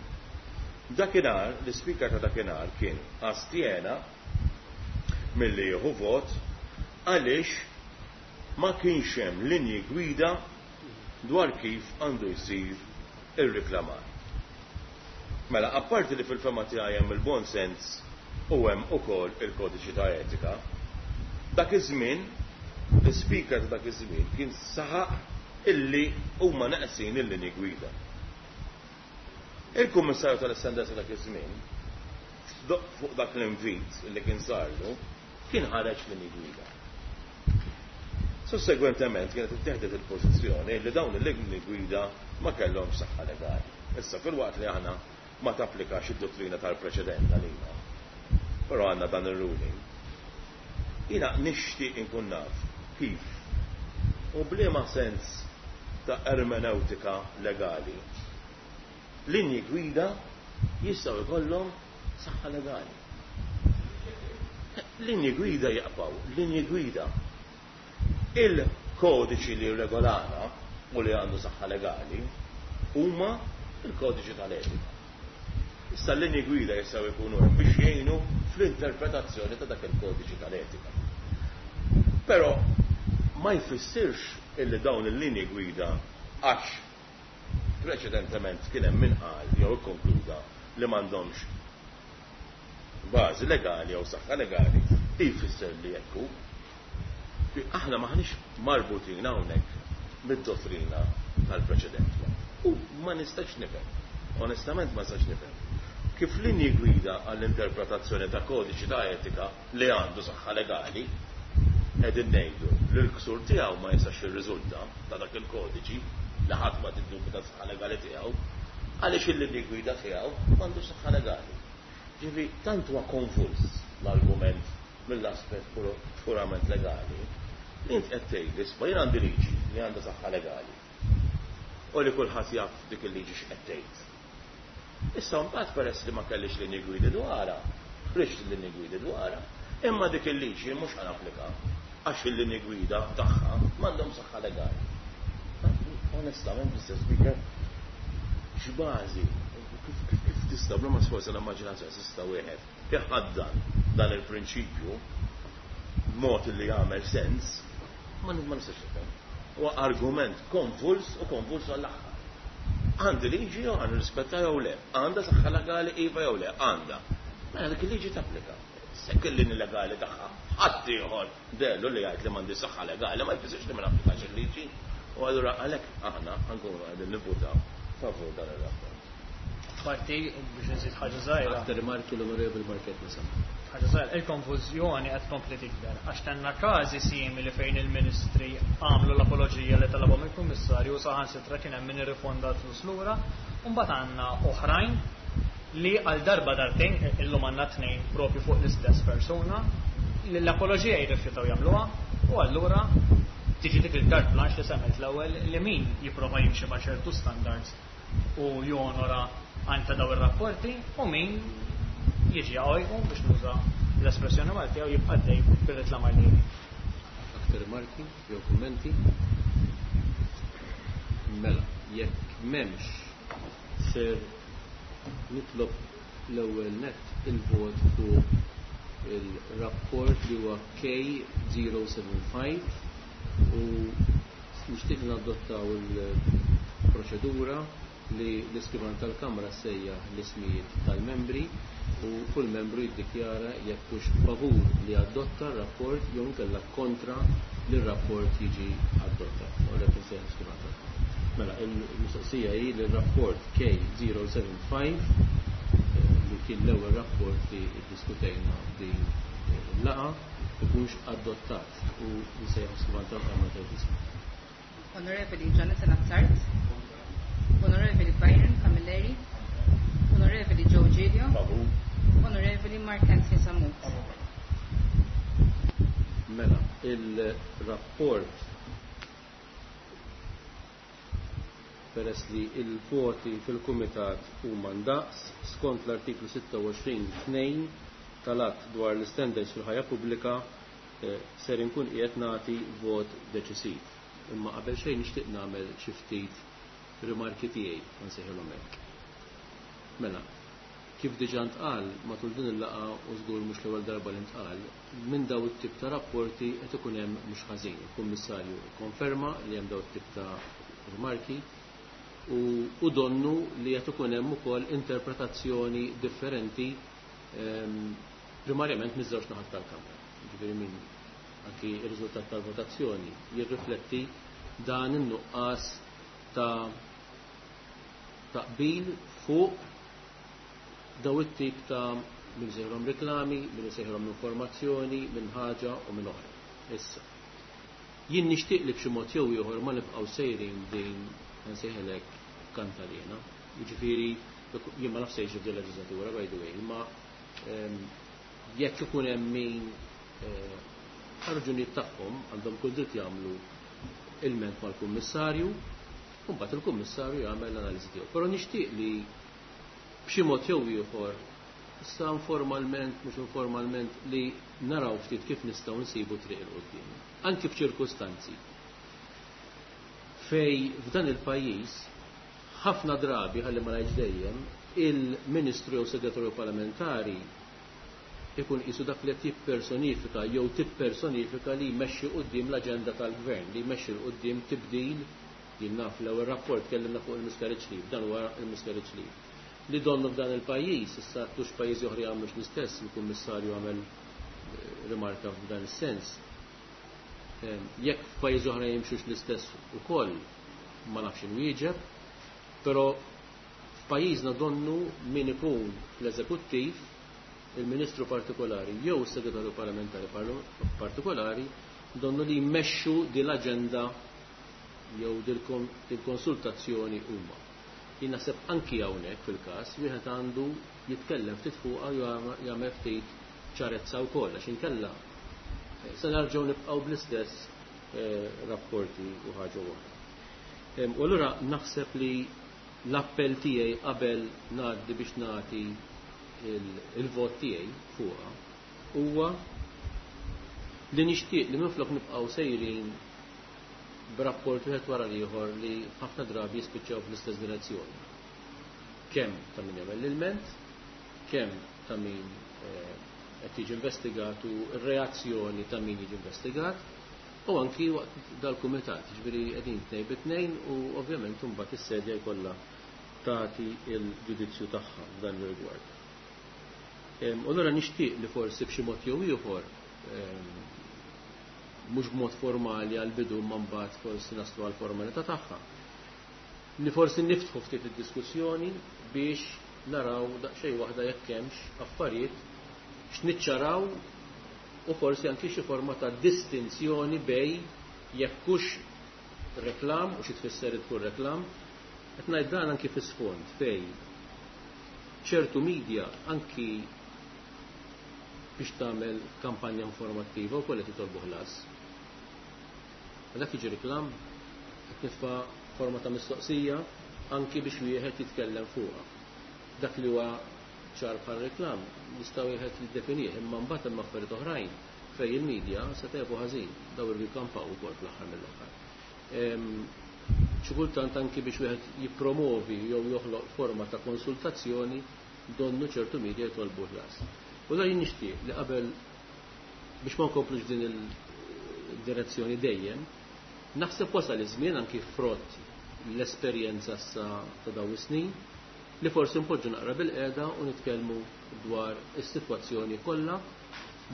dakinhar l-ispeaker ta' dakinhar kien astjena milli jieħu vot għaliex ma kienx hemm linji gwida dwar kif għandu jsir ir-reklamar. Mela, apparti li fil-fema tiegħi hemm il-bon sens u hemm ukoll il-kodiċi ta' etika, dak iż-żmien l-ispeaker ta' dak iż-żmien kien saħaq illi huma neqsin il-linji gwida. Il-Kummissarju tal-Istandards ta' dak iż-żmien fuq dak l-invit illi kien sarlu kien ħareġ linji gwida. Sussegwentement kienet ittieħdet il-pożizzjoni li dawn il-linji gwida ma kellhomx saħħa legali. Issa, fil-waqt li aħna ma tapplikax id-dottrina tal-preċedent għalina, però għandna dan ir-ruling. Jiena nixtieq inkun naf kif u b'liema sens ta' ermeneutika legali linji gwida jistgħu jkollhom saħħa legali. Linji gwida jaqbaw, linji gwida. Il-kodiċi li regolana u li għandu saħħa legali huma il-kodiċi tal-etika. Issa l-linji gwida jistgħu jkunu hemm biex jgħinu fl-interpretazzjoni ta' dak il-kodiċi tal-etika. Però ma jfissirx illi dawn il-linji gwida, għax preċedentement kien hemm min qal jew ikkonkluda li m'għandhomx bażi legali jew saħħa legali, jfisser li hekk hu. Aħna maħniex marbutin hawnhekk mid-dottrina tal-preċedent. U ma nistax nifhem, onestament ma nistax nifhem, kif linji gwida għall-interpretazzjoni ta' kodiċi ta' etika li għandu saħħa legali qegħdin ngħidu li l-ksur tiegħu ma jistax jirriżulta ta' dak il-kodiċi li ħadd ma tiddubita saħħa legali tiegħu, għaliex il-linji gwida tiegħu m'għandux saħħa legali. Ġifieri tant huwa konfuż l-argument mill-aspett purament legali li int qed tgħid isma' jien għandi liġi li għandha saħħa legali u li kulħadd jaf dik il-liġi x'qed tgħid. Issa mbagħad peress li ma kellix linji gwidi dwarha, ħriġt il-linji gwidi dwarha, imma dik il-liġi mhux ħa napplika għax il-linji gwida tagħha m'għandhom saħħa legali. Onestament, Mister Speaker, x'bażi, kif, kif, kif tista' bla ma sforza l-immaġinazzjoni tista' wieħed iħaddan dan il-prinċipju b'mod li jagħmel sens, ma ma nistax nifhem. Huwa argument konvuls u konvuls għall-aħħar. Għandi liġi jew għandi rispetta jew le, għandha saħħa legali iva jew le, għandha. Mela dik il-liġi tapplika. Sekk il-linji legali tagħha ħadd ieħor dellu li jgħid li m'għandi saħħa legali ma jfissirx li ma napplikax il-liġi. U allura għalhekk aħna nkunu qegħdin nivvutaw favur dan ir-rapport. Parti biex nżid ħaġa żgħira. Aktar rimarki l-Onorevoli Mark Anthony Sammut. Ħaġa żgħira, il-konfużjoni qed tkompli tikber għax kellna każi simili fejn il-ministri għamlu l-apoloġija li talabhom il-Kummissarju u saħansitra kien hemm min irrifonda l-flus lura, u mbagħad għandna oħrajn li għal darba darbtejn, illum għandna tnejn propju fuq l-istess persuna, li l-apoloġija jirrifjutaw jagħmluha u allura tiġi dik il-carte blanche li semmejt l-ewwel li min jipprova jimxi ma' ċertu standards u jonora anta daw ir-rapporti u min jiġi għajqu biex nuża l-espressjoni Maltija u jibqa' dej bir-reklamar li jrid. Aktar rimarki jew kummenti? Mela, jekk m'hemmx ser nitlob l-ewwel net il-vot fuq il-rapport li huwa K zero seven five u nixtieq nadottaw il-proċedura li l-iskrivan tal-Kamra sejjaħ l-ismijiet tal-membri u kull membru jiddikjara jekk hux favur li adotta r-rapport jew inkella kontra li r-rapport jiġi adottat. U għalhekk insejjaħ l-iskrivan tal-Kamra. Mela, il-mistoqsija hi li r-rapport K zero seven five, eh, li kien l-ewwel rapport li ddiskutejna din il-laqgħa ikunx adottat u nsejjaħ l-iskrivan tal-Kamra tal-ismi. Onorevoli Jonathan Attard, Onorevoli Byron Camilleri, Onorevoli Joe Giglio, Favur. Onorevoli Mark Anthony Sammut. Mela, il-rapport peress li il-voti fil-Kumitat huma ndaqs skont l-artiklu sitta u għoxrin tnejn tal-att dwar l-standards fil-ħajja pubblika, eh, ser inkun qiegħed nagħti vot deċisiv. Imma qabel xejn nixtieq nagħmel xi ftit rimarki tiegħi nsejħilhom hekk. Mela, kif diġà ntqal matul din il-laqgħa u żgur mhux l-ewwel darba li ntqal, minn daw it-tip ta' rapporti qed ikun hemm mhux ħażin. Il-Kummissarju konferma li hemm daw it-tip ta' rimarki u, u donnu li qed ikun hemm ukoll interpretazzjoni differenti, ehm, primarjament miż-żewġ naħat tal-Kamra. Ġifieri min anki r-riżultat tal-votazzjoni jirrifletti dan in-nuqqas ta' taqbil fuq daw it-tip ta' min sejħilhom reklami, min sejħilhom informazzjoni, minn ħaġa u minn oħra. Issa, jien nixtieq li b'xi mod jew ieħor ma nibqgħu sejrin din nsejħilek kantalina. Jiġifieri jien ma nafx sejġi f'din leġislatura by the way, imma, ehm, jekk ikun hemm min, eh, raġunijiet tagħhom għandhom kull dritt jagħmlu ilment mal-kummissarju, u mbagħad il-kummissarju jagħmel l-analiżi tiegħu. Però nixtieq li b'xi mod jew ieħor, issa informalment, mhux informalment, li naraw ftit kif nistgħu nsibu triq il quddiem. Anki f'ċirkustanzi fej f'dan il-pajjiż ħafna drabi, ħalli ma ngħidx dejjem, il-Ministru jew Segretarju Parlamentari ikun qisu dak li qed jippersonifika jew tippersonifika li jmexxi quddiem l-aġenda tal-gvern, li jmexxi l quddiem tibdil. Jien naf l-ewwel rapport tkellimna fuq il-miscarriage leave, dan huwa il-miscarriage leave. Li donnu f'dan il-pajjiż, issa tux pajjiżi oħra jagħmlux l-istess, il-Kummissarju għamel, eh, rimarka f'dan is-sens. Ehm, jekk f'pajjiżi oħra jimxux l-istess ukoll, ma nafx inwieġeb, però f'pajjiżna donnu min ikun fl-eżekuttiv, il-Ministru partikolari jew is-Segretarju Parlamentari parlo-, partikolari, donnu li jmexxu din l-aġenda jew dil-konsultazzjoni huma. Jien naħseb anki hawnhekk fil-każ wieħed għandu jitkellem ftit fuqha u jagħmel ftit ċarezza wkoll għax inkella se nerġgħu nibqgħu bl-istess rapporti u ħaġa oħra. U allura naħseb li l-appell tiegħi qabel ngħaddi biex nagħti il-vot tiegħi fuqha huwa li nixtieq li minflok nibqgħu sejrin b'rapport wieħed wara l-ieħor li ħafna drabi jispiċċaw fl-istess direzzjoni. Kemm ta' min jagħmel l-ilment, kemm ta' min qed jiġi investigat u r-reazzjoni ta' min jiġi investigat, u anki waqt dal-kumitat, ġifieri qegħdin tnejn bi tnejn u ovvjament imbagħad is-sedja jkollha tagħti l-ġudizzju tagħha f'dan ir-rigward. U allura nixtieq li forsi b'xi mod jew ieħor mhux b'mod formali għal bidu ma mbagħad forsi naslu għal formalità tagħha. Li forsi niftħu ftit id-diskussjoni biex naraw daqsxejn waħda jekk hemmx affarijiet x'niċċaraw u forsi anki xi forma ta' distinzjoni bej jekk hux reklam u xi tfisser tkun reklam, qed ngħid dan anki fis-sfond fej ċertu media anki biex tagħmel kampanja informattiva u qed jitolbu ħlas. Dak jiġi reklam, qed nitfa' forma ta' mistoqsija anki biex wieħed jitkellem fuqha. Dak li huwa ċar bħal reklam jista' wieħed jiddefinih, imma mbagħad hemm affarijiet oħrajn fejn il-medja se tgħibu ħażin, daw irridu jkampaw ukoll fl-aħħar mill-aħħar. Xi kultant anki biex wieħed jippromovi jew joħloq forma ta' konsultazzjoni donnu ċertu media jitolbu ħlas. U dan jien nixtieq li qabel biex ma nkomplux din il-direzzjoni dejjem, naħseb wasal iż-żmien anki frott l-esperjenza sa ta' dawn is-snin li forsi npoġġu naqra bil-qiegħda u nitkellmu dwar is-sitwazzjoni kollha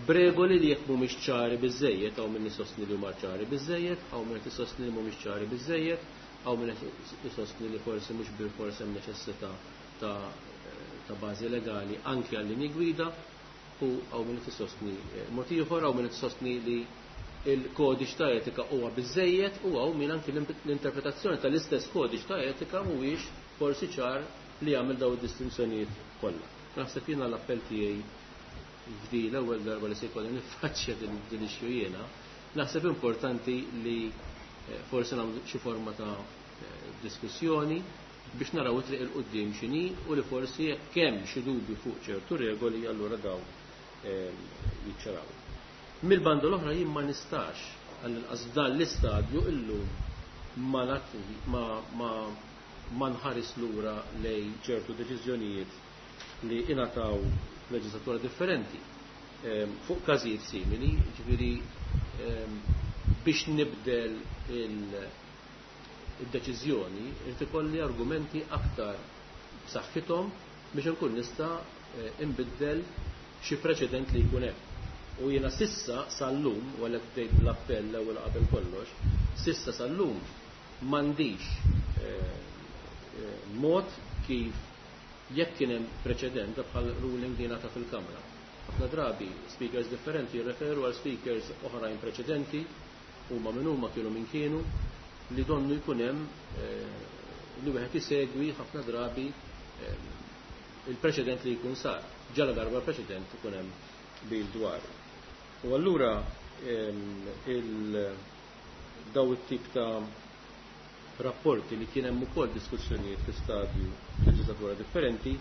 b'regoli li jekk mhumiex ċari biżejjed, hawn min isostni li huma ċari biżejjed, hawn min qed isostni li mhumiex ċari biżejjed, hawn min qed isostni li forsi mhux bilfors hemm neċessità ta' ta' bażi legali anki għal-linji gwida, u hawn min qed isostni mod ieħor, hawn min qed isostni li il-kodiċ ta' etika huwa biżejjed u hawn min anki l-interpretazzjoni tal-istess kodiċ ta' etika mhuwiex forsi ċar li jagħmel dawn id-distinzjonijiet kollha. Naħseb jiena l-appell tiegħi f'di l-ewwel darba li se jkolli niffaċċja din issue jiena, naħseb importanti li forsi nagħmlu xi forma ta' diskussjoni biex naraw it-triq il quddiem x'inhi u li forsi jekk hemm xi dubju fuq ċertu regoli allura dawn jiċċaraw. Mill-banda l-oħra jien ma nistax għall-inqas f'dan l-istadju illum ma ma ma ma nħares lura lej ċertu deċiżjonijiet li ingħataw f'leġislatura differenti fuq każijiet simili, ġifieri biex nibdel il-deċiżjoni irid ikolli argumenti aktar b'saħħithom biex inkun nista' inbiddel xi preċedent li jkun hemm. U jiena sissa sal-lum, u għalhekk bdejt bl-appell l-ewwel qabel kollox, sissa sal-lum m'għandix mod kif jekk kien hemm preċedent bħal ruling li ngħata fil-Kamra. Ħafna drabi speakers differenti jirreferu għal speakers oħrajn preċedenti, huma minn huma kienu minn kienu, li donnu jkun hemm li wieħed isegwi ħafna drabi il-preċedent li jkun sar. Ġala darba preċedent ikun hemm bil dwar. U allura il daw it-tip ta' rapporti li kien hemm ukoll diskussjonijiet fi stadju leġislatura differenti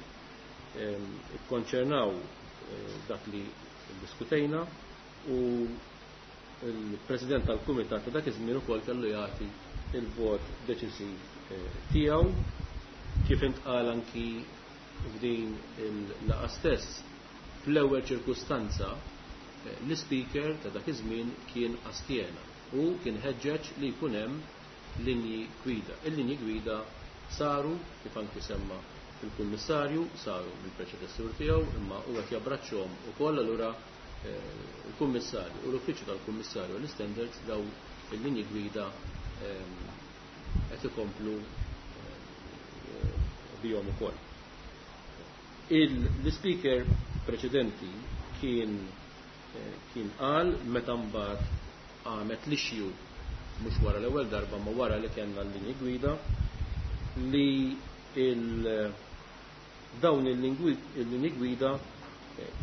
ikkonċernaw dak li diskutejna u il-President tal-Kumitat ta' dak iż-żmien ukoll kellu jagħti il-vot deċisiv tiegħu kif intqal anki f'din il-laqgħa stess fl-ewwel ċirkustanza l-ispeaker ta' dak iż-żmien kien astjena u kien ħeġġeġ li jkun hemm linji gwida. Il-linji gwida saru kif anki semma il-kummissarju, saru mill-preċedessur tiegħu, imma huwa qed jabbraċċhom ukoll allura il-kummissarju u l-uffiċċju tal-kummissarju l-standards daw il-linji gwida qed ikomplu bihom ukoll. Il-speaker preċedenti kien kien qal meta mbagħad għamet l-issue mhux wara l-ewwel darba ma wara li kellna l-linji gwida li il dawn il-linji gwida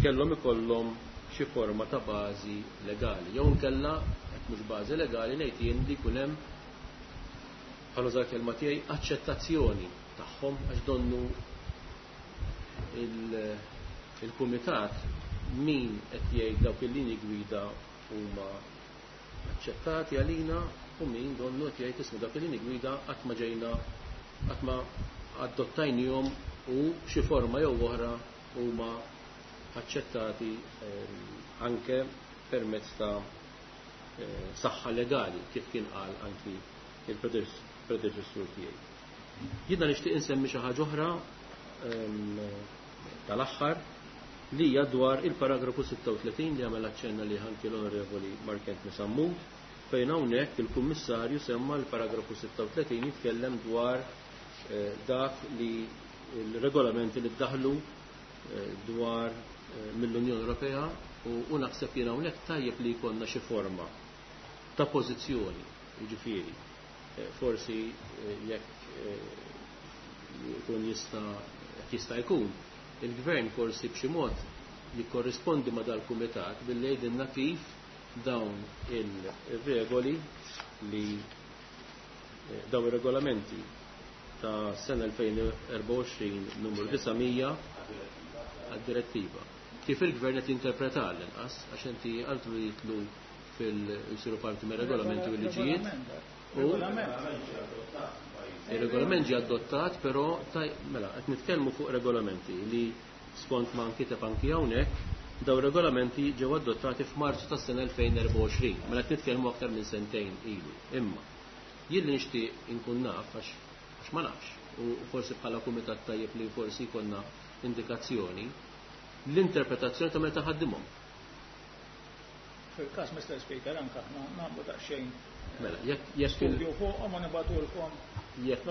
kellhom ikollhom xi forma ta' bażi legali. Jew inkella hekk mhux bażi legali ngħid jien li jkun hemm bħal użar kelma tiegħi aċċettazzjoni tagħhom għax donnu il-kumitat min qed jgħid dawk il-linji gwida huma aċċettati għalina u min donnu qed jgħid ismu dawk il-linji gwida qatt ma ġejna qatt ma adottajnihom u xi forma jew oħra huma aċċettati anke permezz ta' saħħa legali kif kien qal anki il-predeċessur tiegħi. Jiena nixtieq insemmi xi ħaġa oħra tal-aħħar li hija dwar il-paragrafu sitta u tletin li għamel aċċenna li anki l-Onorevoli Mark Anthony Sammut, fejn hawnhekk il-Kummissarju semma l-paragrafu sitta u tletin jitkellem dwar dak li l-regolamenti li ddaħlu dwar mill-Unjoni Ewropea u naħseb jien hawnhekk tajjeb li jkollna xi forma ta' pożizzjoni, jiġifieri forsi jekk jkun jista' jista' jkun il-gvern forsi b'xi mod jikkorrispondi ma' dal-kumitat billi jgħidilna kif dawn il-regoli li dawn ir-regolamenti ta' sena elfejn u erbgħa u għoxrin numru disa' mija għad-direttiva. Kif il-gvern qed jinterpreta l-inqas, għax inti għaltu li jitlu fil-jsiru parti me regolamenti u liġijiet. U il-regolament ġie adottat, però mela qed nitkellmu fuq regolamenti li skont ma nkiteb anki hawnhekk, daw regolamenti ġew adottati f'Marzu tas-sena elfejn u erbgħa u għoxrin, mela qed nitkellmu aktar minn sentejn ilu. Imma jien li nixtieq inkun naf għax għax ma nafx, u forsi bħala kumitat tajjeb li forsi jkollna indikazzjoni, l-interpretazzjoni ta' meta ħaddimhom. Fil-każ, Mister Speaker, anke aħna nagħmlu daqsxejn Mela, jekk jekk studju fuqhom u nibgħatulkom. Jekk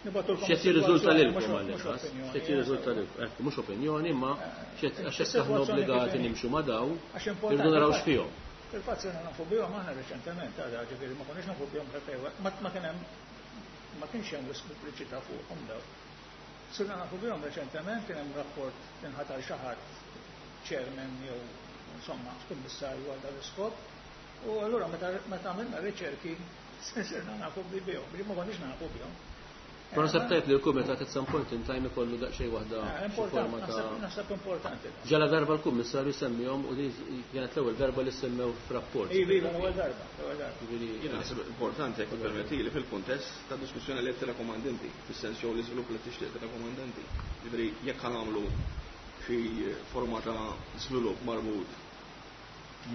Nibgħatulkom. X'qed jirriżulta lilkom għall-inqas, x'qed jirriżulta lilkom, ekku mhux opinjoni, ma x'qed għax hekk aħna obbligati nimxu ma' daw, irridu naraw x'fihom. Fil-fatt sirna nafu bihom aħna reċentement, għadha ġifieri ma konniex nafu bihom ma kien hemm ma kienx hemm wisq pubbliċità fuqhom daw. Sirna nafu bihom reċentement, kien hemm rapport inħatar xi ħadd chairman jew insomma kummissarju għal dan l-iskop. U allura meta għamilna riċerki sirna nafu bihom, li ma konniex nafu bihom. Però naħseb tajjeb li l-kumitat at some point in time ikollu daqsxejn waħda forma ta' Naħseb importanti. Ġala darba l-kummissarju semmihom u din kienet l-ewwel darba li semmew f'rapport. Iva, iva, l-ewwel darba, l-ewwel darba. Jiena naħseb importanti jekk permettili fil-kuntest ta' diskussjoni li qed tirrakkomandanti, fis-sens jew l-iżvilupp li tixtieq tirrakkomandanti. Jiġifieri jekk ħanagħmlu xi forma ta' żvilupp marbut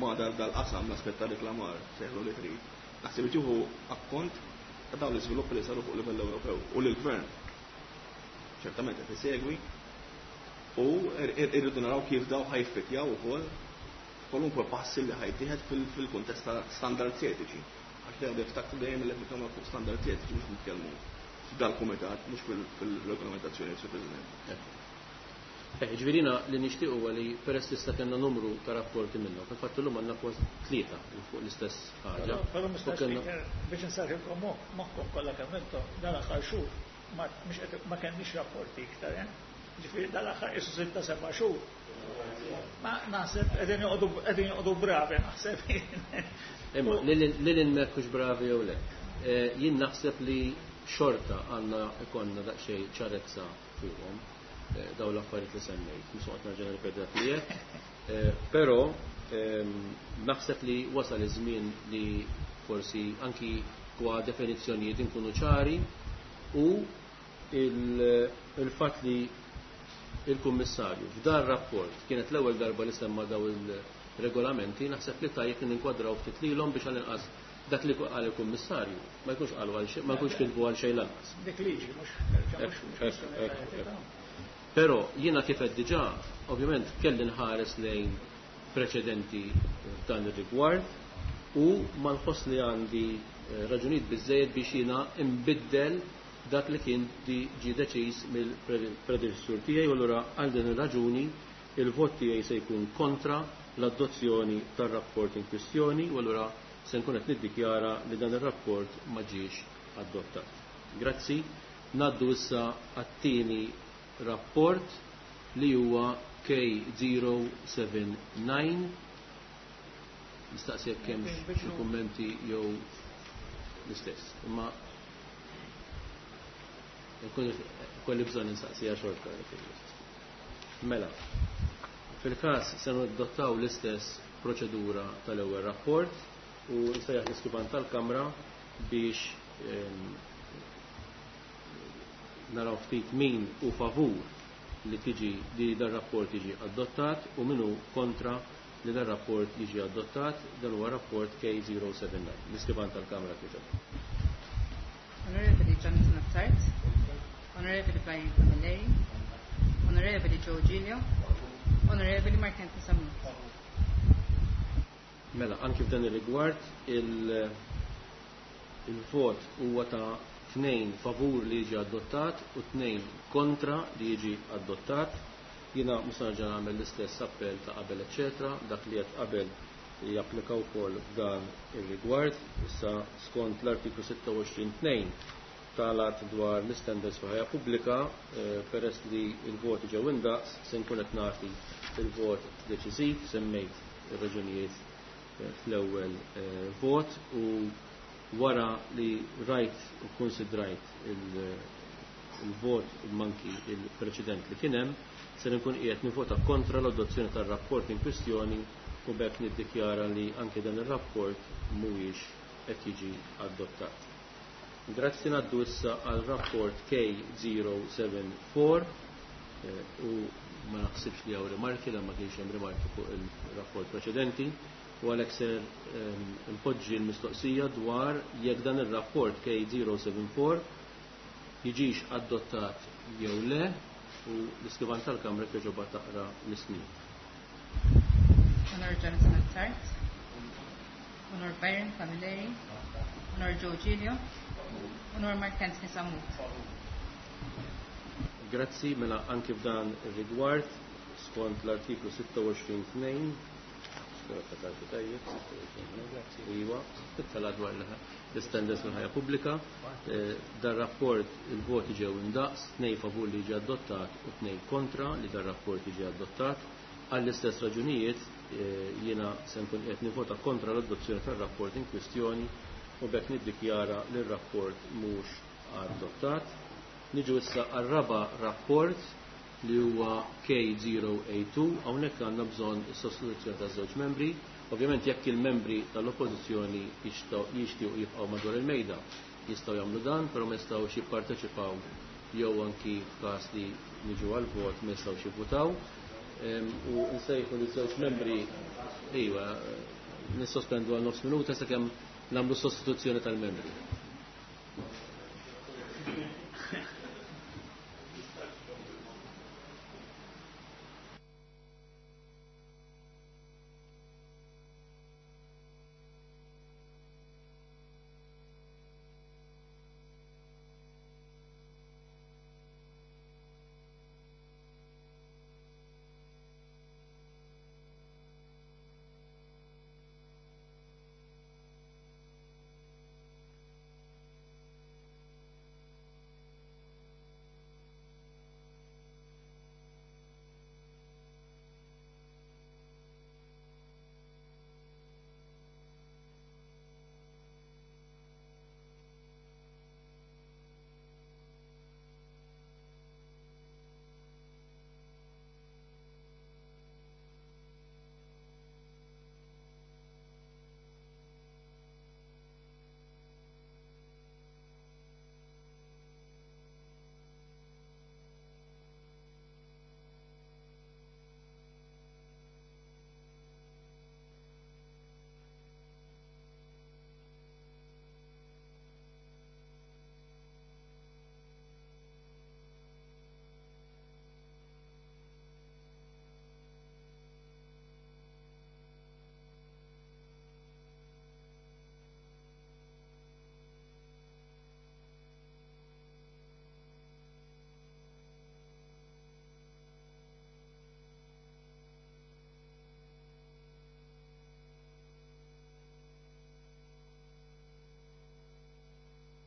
ma' dal-qasam l-aspett ta' reklamar sejħlu li trid. Naħseb li tieħu akkont ta' dawn l-iżviluppi li saru fuq livell Ewropew u l-gvern ċertament qed isegwi u irridu naraw kif daw ħajfitjaw ukoll kwalunkwe passi li ħajtieħed fil-kuntest ta' standards etiċi. Għax dejjem niftakru dejjem li qed nitkellmu fuq standards etiċi mhux nitkellmu f'dal-kumitat, mhux fil-regolamentazzjoni, Sur President. Ġifieri li nixtieq huwa li peress li kellna numru ta' rapporti minnhom, fil-fatt illum għandna kważi tlieta fuq l-istess ħaġa. Però Mister Speaker, biex nsarħilkom moħħkom kollha kemm intom, dal-aħħar xhur ma kenniex rapporti iktar, eh? Ġifieri dal-aħħar isu sitta seba' xhur. Ma naħseb qegħdin joqogħdu joqogħdu bravi naħseb. Imma lil inmekkux bravi jew le. Jien naħseb li xorta għandna ikollna daqsxejn ċarezza fuqhom daw l-affarijiet li semmejt, mhux noqgħod nerġa' nirrepeti dak li qed. Però naħseb li wasal iż-żmien li forsi anki kwa definizzjonijiet inkunu ċari u il-fatt li il-Kummissarju f'dan rapport kienet l-ewwel darba li semma daw il-regolamenti, naħseb li tajjeb li ninkwadraw ftit lilhom biex għall-inqas dak li qal il-Kummissarju ma jkunx qalu għal xejn, ma jkunx kitbu għal xejn lanqas. Dik liġi mhux Però jiena kif qed diġà, ovvjament kelli nħares lejn preċedenti f'dan ir-rigward u ma nħoss li għandi raġunijiet biżżejjed biex jiena nbiddel dak li kien ġie deċiż mill-predeċessur tiegħi u allura għal din ir-raġuni il-vot tiegħi se jkun kontra l-adozzjoni tar-rapport in kwistjoni u allura se nkun qed niddikjara li dan ir-rapport ma ġiex adottat. Grazzi. Naddu issa għat-tieni rapport li huwa K zero seven nine. Nistaqsi jekk hemm xi kummenti jew l-istess. Imma kolli bżonn nistaqsija xorta. Mela, fil-każ se nadottaw l-istess proċedura tal-ewwel rapport u nsejjaħ l-iskrivan tal-Kamra biex, ehm, naraw ftit min hu favur li tiġi li dar rapport jiġi adottat u min hu kontra li dar rapport jiġi adottat. Dan huwa rapport K zero seven nine. L-iskrivan tal-Kamra kieġeb. Onorevoli Jonathan Attard, Onorevoli Byron Camilleri, Onorevoli Joe Giglio, Onorevoli Mark Anthony Sammut. Mela, anki f'dan ir-rigward il-, il-vot huwa ta' tnejn favur li jiġi adottat u tnejn kontra li jiġi adottat. Jiena mhux nerġa' nagħmel l-istess appell ta' qabel, eċċetera. Dak li qed qabel japplika wkoll f'dan ir-rigward. Issa skont l-artiklu sitta u għoxrin tnejn tal-att dwar l-istandards fil-ħajja pubblika, eh, peress li l-voti ġew indaqs, se nkun qed nagħti il-vot deċiżiv, semmejt ir-raġunijiet, eh, fl-ewwel, eh, vot u wara li rajt u konsidrajt il-, il-vot u manki il-preċedent li kien hemm, se nkun qiegħed nivota kontra l-adozzjoni tar-rapport in kwistjoni u b'hekk niddikjara li anke dan ir-rapport mhuwiex qed jiġi adottat. Grazzi. Ngħaddu issa għal rapport K zero seven four, eh, u ma naħsibx li hawn rimarki, la ma kienx hemm rimarki fuq il-rapport preċedenti, u għalhekk ser, ehm, npoġġi l-mistoqsija dwar jekk dan ir-rapport K zero seven four jiġix adottat jew le, u l-iskrivan tal-Kamra kieġoba taqra l-ismijiet. Honor Jonathan Attard, Honor Byron Camilleri, Honor Joe Giglio, Honor Mark Anthony Sammut. Grazzi. Mela anki f'dan ir-rigward skont l-artiklu sitta u għoxrin tnejn, iwa, tala dwar l-istandards fil-ħajja pubblika, eh, dar rapport il-voti ġew indaqs, tnejn favur li jiġi adottat u tnejn kontra li dar rapport jiġi adottat. Għall-istess raġunijiet, eh, jiena se nkun qed nivota kontra l-adozzjoni tar-rapport in kwistjoni u b'hekk niddikjara li r-rapport mhux adottat. Niġu issa għar-raba' rapport li huwa K zero eight two. Hawnhekk għandna bżonn is-sostituzzjoni ta' żewġ membri. Ovvjament jekk il-membri tal-oppożizzjoni jixtiequ jibqgħu madwar il-mejda jistgħu jagħmlu dan, però ma jistgħux jipparteċipaw jew anki f'każ li niġu għall-vot ma jistgħux jivvutaw. Ehm, u nsejħu li żewġ membri, iva, nissospendu għal nofs minuta sakemm nagħmlu sostituzzjoni tal-membri.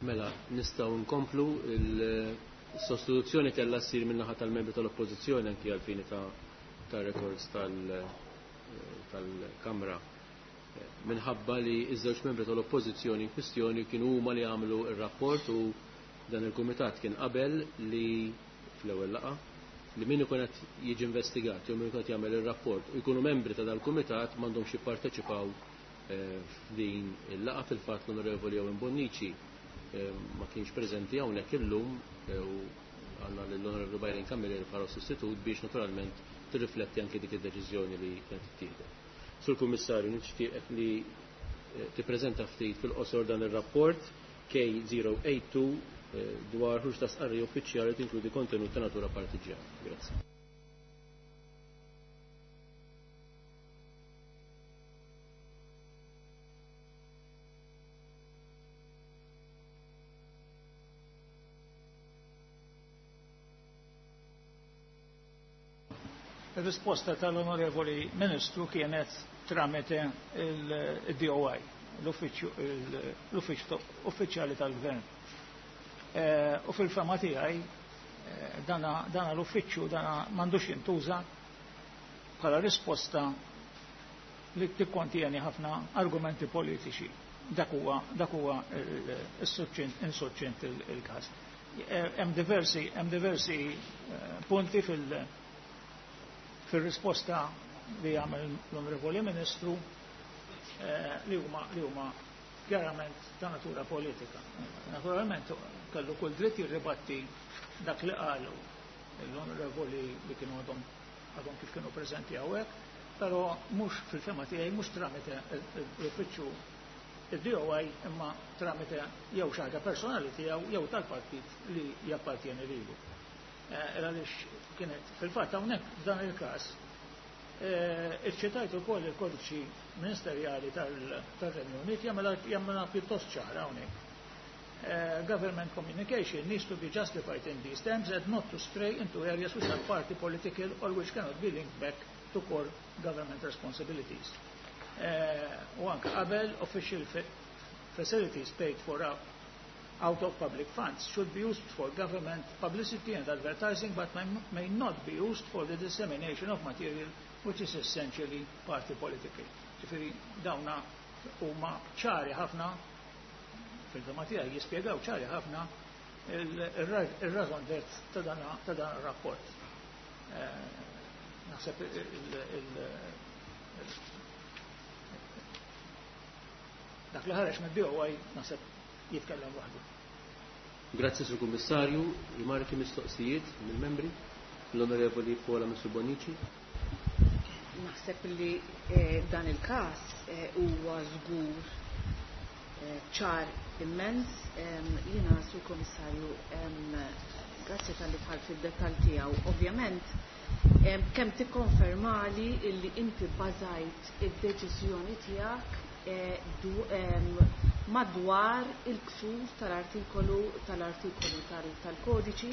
Mela, nistgħu nkomplu il-sostituzzjoni kellha ssir min-naħa tal-membri tal-Oppożizzjoni anki għall-fini ta' ta' records tal-Kamra minħabba li iż-żewġ membri tal-Oppożizzjoni in kwistjoni kienu huma li għamlu ir-rapport u dan il-kumitat kien qabel li fl-ewwel laqgħa li min ikun qed jiġi investigat jew min ikun qed jagħmel ir-rapport u jkunu membri ta' dal-kumitat m'għandhomx jipparteċipaw f'din il-laqgħa. Fil-fatt l-Onorevoli Owen Bonnici ma kienx preżenti hawnhekk illum u għandna lill-Onorevoli Byron Camilleri bħala sostitut biex naturalment tirrifletti anke dik id-deċiżjoni li kienet ittieħdet. Sur Kummissarju, nixtieqek li tippreżenta ftit fil-qosor dan ir-rapport K zero eight two dwar ħruġ ta' stqarrija uffiċjali tinkludi kontenut ta' natura partiġjana. Grazzi. Il-risposta tal-Onorevoli Ministru kienet tramite il-D O I, l-uffiċċju uffiċjali tal-Gvern. U fil-fema tiegħi dana l-uffiċċju dana m'għandux jintuża bħala risposta li tikkontieni ħafna argumenti politiċi. Dak huwa dak huwa is-suċċent il-każ. Hemm diversi hemm diversi punti fil- fil-risposta li għamel l-Onorevoli Ministru li huma li huma chiarament ta' natura politika. Naturalment kellu kull dritt jirribatti dak li qalu l-Onorevoli li kienu għadhom għadhom kif kienu preżenti hawnhekk, però mhux fil-fema tiegħi mhux tramite l-uffiċċju id-D O I imma tramite jew xi ħaġa personali tiegħu jew tal-partit li jappartieni lilu. Għaliex kienet fil-fatt hawnhekk f'dan il-każ iċċitajt ukoll il-kodiċi ministerjali tal-Renju Unit jagħmilha pjuttost ċara hawnhekk. Government communication needs to be justified in these terms and not to stray into areas which are party political or which cannot be linked back to core government responsibilities. U anke qabel official facilities paid for out of public funds should be used for government publicity and advertising, but may, may not be used for the dissemination of material which is essentially party political. Ġifieri dawna huma ċari ħafna fil-fema tiegħi jispjegaw ċari ħafna il-raison d'être ta' dan ta' dan ir-rapport. Naħseb dak li ħareġ mid-D O I naħseb jitkellem waħdu. Grazzi Sur Kummissarju, rimarki mistoqsijiet mill-membri, l-Onorevoli Paola Mifsud Bonnici. Naħseb li dan il-każ huwa żgur ċar immens. Jiena Sur Kummissarju, grazzi tal-li dħalt fid-dettall tiegħu. Ovvjament kemm tikkonfermali illi inti bbażajt id-deċiżjoni tiegħek madwar il-ksur tal-artikolu tal-artikolu tal-kodiċi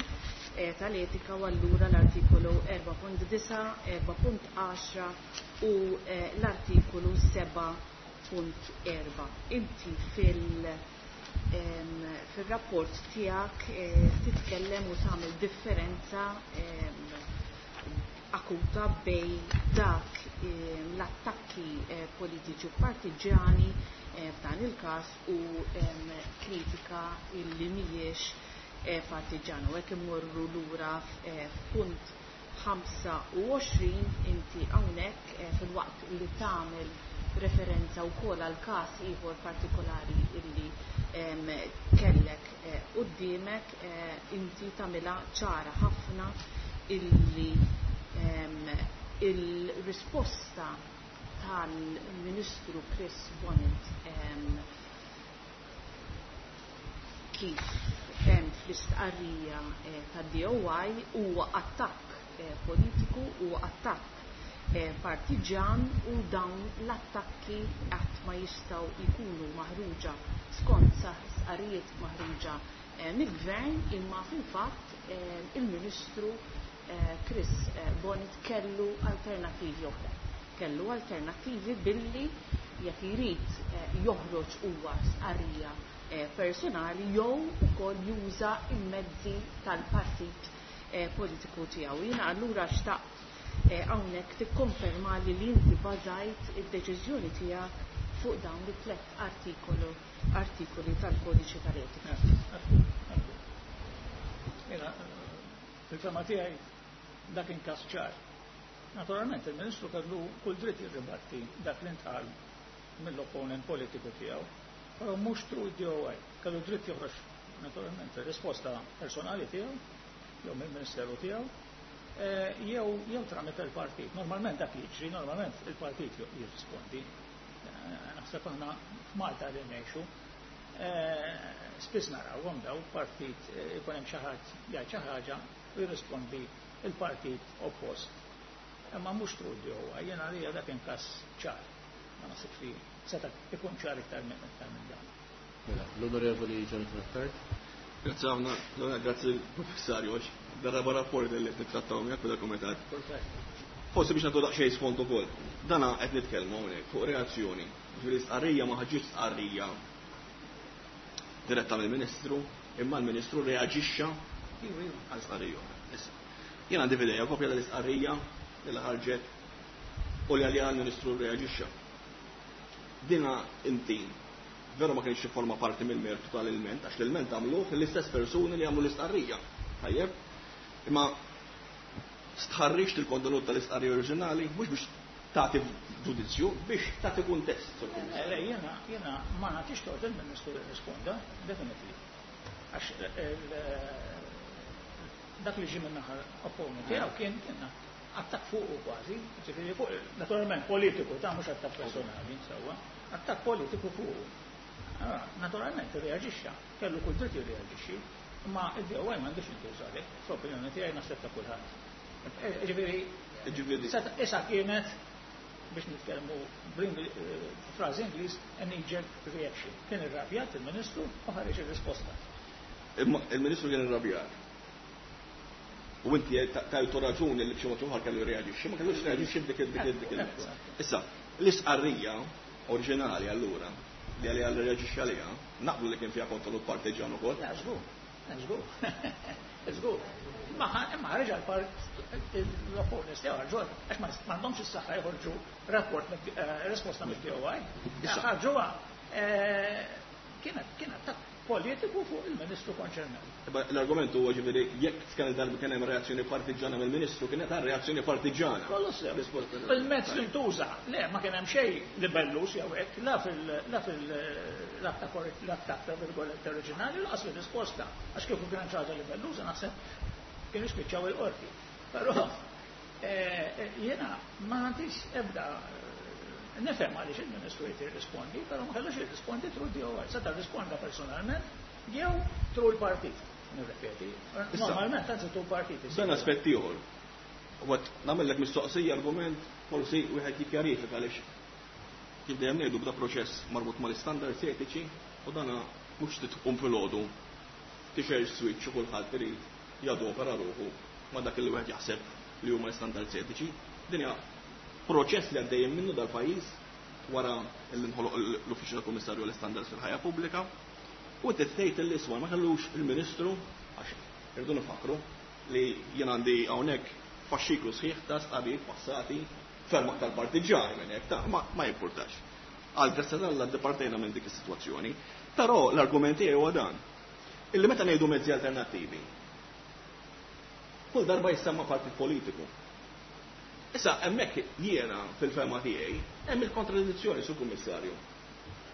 tal-etika u allura l-artikolu erba' punt disa', erba' punt għaxra u l-artikolu seba' punt erba'. Inti fil- fil-rapport tiegħek titkellem u tagħmel differenza akuta bej dak l-attakki politiċi u partiġjani f'dan il-każ u kritika illi mhijiex partiġjana. U hekk immorru lura f'punt ħamsa u għoxrin inti hawnhekk fil-waqt li tagħmel referenza wkoll għal każ ieħor partikolari illi kellek quddiemek, inti tagħmilha ċara ħafna illi il-risposta tal-Ministru Chris Bonett kif hemm fl-istqarrija tad-D O I huwa attakk politiku, huwa attakk partiġan u dawn l-attakki qatt ma jistgħu jkunu maħruġa skont stqarrijiet maħruġa mill-gvern, imma fil-fatt il-Ministru Chris Bonett kellu alternattivi oħra. Kellu alternattivi billi jekk irid joħroġ huwa stqarrija personali jew ukoll juża il-mezzi tal-partit politiku tiegħu. Jiena allura xtaqt hawnhekk tikkonferma li li inti bażajt id-deċiżjoni tiegħek fuq dawn it-tliet artikolu artikoli tal-kodiċi tal-etika. Jiena fil-fema tiegħi dak każ ċar. Naturalment il-Ministru kellu kull dritt jirribatti dak li ntqal mill-opponent politiku tiegħu, però mhux through D O I. Kellu dritt joħroġ naturalment risposta personali tiegħu jew mill-Ministeru tiegħu jew jew tramite il-partit. Normalment dak jiġri, normalment il-partit jirrispondi. Naħseb aħna f'Malta li ngħixu, spiss narawhom daw partit ikun hemm xi ħadd jgħid xi ħaġa u jirrispondi il-partit oppost. Imma mhux through D O I, jiena għalija dak kien każ ċar. Ma naħsibx li seta' ikun ċar iktar minn iktar minn dan. Mela, l-Onorevoli Jonathan Attard. Grazzi ħafna, grazzi l-Professarju, għax dar-raba' rapport li qed nittrattaw miegħek fil-kumitat. Forsi biex nagħtu daqsxejn sfond ukoll. Dana qed nitkellmu hawnhekk fuq reazzjoni. Ġifieri stqarrija ma ħaġitx stqarrija diretta mill-Ministru, imma l-Ministru reaġixxa għal stqarrija oħra. Issa, jien għandi f'idejja kopja tal-istqarrija li ħarġet u li għalija l-Ministru reaġixxa. Dina inti veru ma kienx forma parti mill-mertu tal-ilment, għax l-ilment għamluh l-istess persuni li għamlu l-istqarrija. Tajjeb? Imma stħarriġt il-kontenut tal-istqarrija oriġinali, mhux biex tagħti ġudizzju, biex tagħti kuntest. Le, jiena jiena ma nagħtix tort il-Ministru jirrisponda, definitely. Għax dak li ġie minn naħa opponent tiegħu kien kien attak fuq kważi, ġifieri fuq naturalment politiku ta' mhux attak personali, sewwa, attak politiku fuq. Naturalment reaġixxa, kellu kull dritt jirreaġixxi, imma id-D O I m'għandux jintuża għalhekk, fl-opinjoni tiegħi naħseb ta' kulħadd. Ġifieri, issa kienet biex nitkellmu frażi Ingliż, a knee-jerk reaction. Kien irrabjat il-Ministru u ħareġ ir-risposta. Il-Ministru kien irrabjat. U inti tajtu raġuni li b'xi mod ieħor kellu jirreaġixxi, ma kellux reaġixxi b'dik dik dik. Issa, l-istqarrija oriġinali allura li għalija li reaġixxi għaliha, naqblu li kien fiha kontenut partiġan ukoll. Żgur, żgur. Żgur. Ma ħareġ l-opponents tiegħu ħarġu għax m'għandhomx is-saħħa joħorġu rapport risposta mid-D O I. Ħarġuha kienet kien attakk politiku fuq il-Ministru konċernat. L-argument huwa ġifieri jekk kien darba kien hemm reazzjoni partiġana mill-Ministru, kienet reazzjoni partiġana. Kollu sew. Il-mezz li ntuża, le ma kien hemm xejn libellus jew hekk, la fil la fil l-attakk ta' virgolette oriġinali lanqas fir-risposta. Għax kieku kien hemm xi ħaġa libelluża naħseb kienu spiċċaw il-qorti. Però jiena ma nagħtix ebda nifhem għaliex il-Ministru jrid jirrispondi, però ma kellux jirrispondi through D O I. Seta' risponda personalment jew through il-partit. Nirrepeti. Normalment anzi through il-partit. Dan aspett ieħor. U għat nagħmellek mistoqsija argument forsi wieħed jikkjarifika għaliex kif dejjem ngħidu bda proċess marbut mal-istandards etiċi u dana mhux titqum filgħodu tixgħel switch u kulħadd irid jadopera ruħu ma dak li wieħed jaħseb li huma l-istandards etiċi. Din hija proċess li għaddejjem minnu dal-pajjiż wara li nħoloq l-Uffiċċju tal-Kummissarju l-Istandards fil-Ħajja Pubblika u tgħid li iswa ma kellux il-Ministru, għax irdu nifakru li jien għandi hawnhekk faxxiklu sħiħ ta' stqarrijiet passati ferm aktar partiġani minn hekk ta' ma, ma jimpurtax. Għal grazzja t'Alla ddepartejna minn dik is-sitwazzjoni. Però l-argument tiegħi huwa dan. Illi meta ngħidu mezzi alternattivi, kull darba jissemma partit politiku. Issa hemmhekk jiena fil-fema tiegħi hemm il-kontradizzjoni, sur Kummissarju.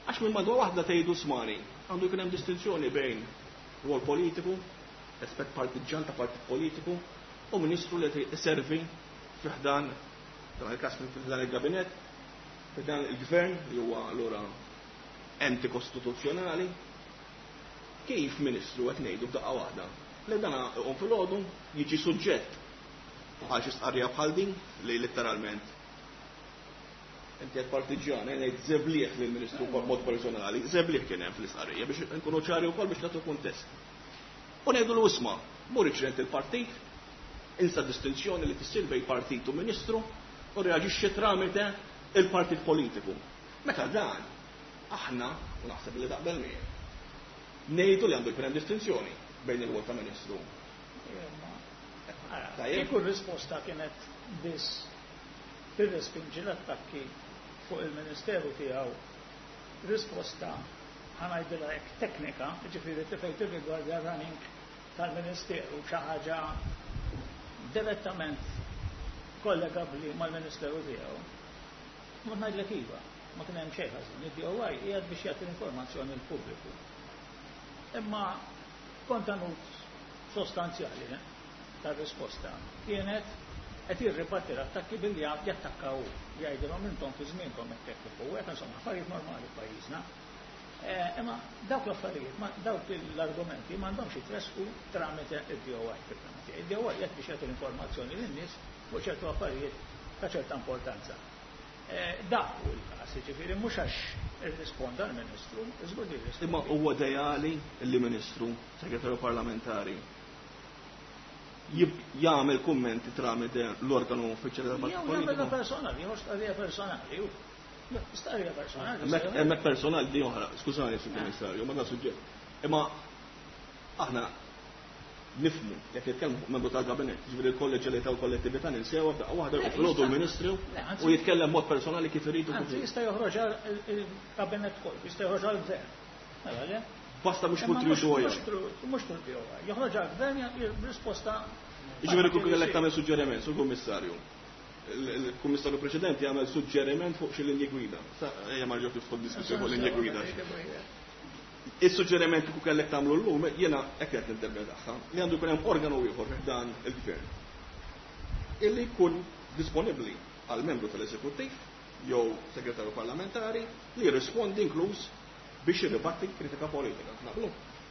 Għax minn madwar waħda tgħidu smani, għandu jkun hemm distinzjoni bejn rwol politiku, aspett partiġan ta' partit politiku, u ministru li servi fi ħdan dan il-każ fi ħdan il-gabinett, fi ħdan il-gvern li huwa allura enti kostituzzjonali. Kif ministru qed ngħidu f'daqqa waħda li dana iqum filgħodu jiġi suġġett għal xi stqarrija bħal din li letteralment inti qed partiġjan, ngħid żebliħ lill-Ministru b'mod personali, żebliħ kien hemm fl-istqarrija biex nkunu ċari wkoll biex nagħtu kuntest. U ngħidu l isma' mur iċrent il-partit, insa distinzjoni li tissir bejn partit u ministru u reaġixxi tramite il-partit politiku. Meta dan aħna, u naħseb li taqbel miegħi, Ngħidu li għandu jkun hemm distinzjoni bejn il-rwol ta' Ministru. Kieku r-risposta kienet biss tirrespinġi l-attakki fuq il-Ministeru tiegħu, risposta ħa ngħidilha hekk teknika, ġifieri fejn tirrigwardja running tal-Ministeru, xi ħaġa direttament kollegabbli mal-Ministeru tiegħu. Ma ngħidlek iva, ma kien hemm xejn ħażin. Id-D O I qiegħed biex jagħti l-informazzjoni l-pubbliku. Imma kontenut sostanzjali eh, tar-risposta kienet qed jirribatti l-attakki billi jattakkaw, jgħidilhom intom fi żmienkom hekk hekk u hekk, insomma, affarijiet normali f'pajjiżna. Eh, imma dawk l-affarijiet, dawk l-argumenti m'għandhomx jitresqu tramite id-D O I fil-fehma tiegħi. Id-D O I qed biex jagħti l-informazzjoni lin-nies fuq ċertu affarijiet ta' ċerta importanza. Eh, dak hu l-każ, jiġifieri mhux għax irrisponda l-Ministru, żgur li jirrispondi. Imma huwa ideali li Ministru, Segretarju Parlamentari jagħmel kummenti tramite l-organu uffiċjali tal-partit Jew jagħmel politiku? Personali, jew stqarrija personali, ju. Stqarrija personali. Hemmhekk hemmhekk personali di oħra, skużani, Sur Kummissarju, ma dan suġġett. Imma aħna nifhmu jekk nitkellmu fuq membru tal-kabinett, ġifieri l-kolleġjalità u l-kollettività ninsewha f'daqqa waħda, Le, filgħodu jista' l-Ministru Le, anzi- u jitkellem mod personali kif irid u kif Anzi, irid. jista' joħroġ il-kabinett kollu, jista' joħroġ għall-gvern. Mela, le? Basta mhux Imma fuq mhux- D O I. mhux tru- Mhux through D O I. Joħroġ għall-gvern risposta. Ġifieri kieku kellek tagħmel suġġeriment, Sur Kummissarju. Il-Kummissarju preċedenti għamel suġġeriment fuq xi linji gwida. Sa ejja ma rġgħu tidħol diskussjoni fuq linji gwida. Is-suġġeriment kieku kellek tagħmlu llum, jiena hekk qed ninterpretaha, li għandu jkun hemm organu ieħor dan il-gvern illi jkun disponibbli għal membru tal-eżekuttiv jew segretarju parlamentari li jirrispondi, inkluż biex jirribatti kritika politika. Naqblu?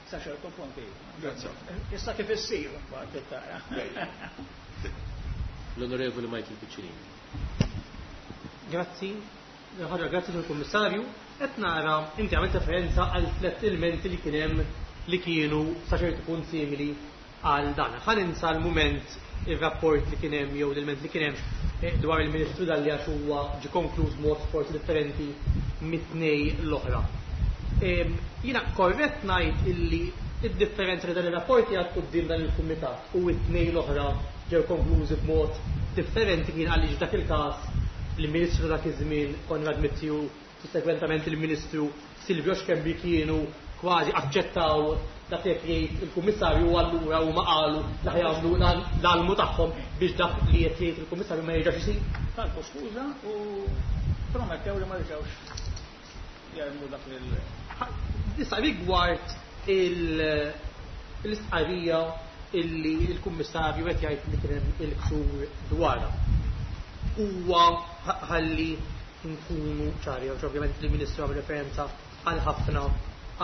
Sa ċertu punti. Grazzi. Issa kif issir mbagħad tara. L-Onorevoli Michael Piccinini. Grazzi. Ħaġa, grazzi lill-Kummissarju. Qed nara inti għamilt referenza għal tliet elementi li kien hemm li kienu sa ċertu punt simili għal dan. Ħa ninsa l-mument ir-rapport li kien hemm jew l-element li kien hemm eh, dwar il-Ministru Dalli, għax huwa ġi konkluż mod forsi differenti mit-tnej l-oħra. Em, Jiena korrett ngħid illi id-differenza li dan ir-rapport għad quddiem dan il-kumitat u it-tnej l-oħra ġew konklużi b'mod differenti kien għaliex dak il-każ il-Ministru dak iż-żmien Konrad Mizzi u sussegwentament il-Ministru Silvio Schembri kienu kważi aċċettaw dak li qed jgħid il-Kummissarju, u allura huma qalu li ħa jagħmlu l-almu tagħhom biex dak li qed jgħid il-Kummissarju ma jerġax isir. Talbu skuża u promettew li ma jerġgħux jarmu dak lil Issa rigward il- l-istqarrija illi il-Kummissarju qed jgħid li kien hemm il-ksur dwarha. Huwa ħalli nkunu ċari, għax ovvjament il-Ministru għamel referenza għal ħafna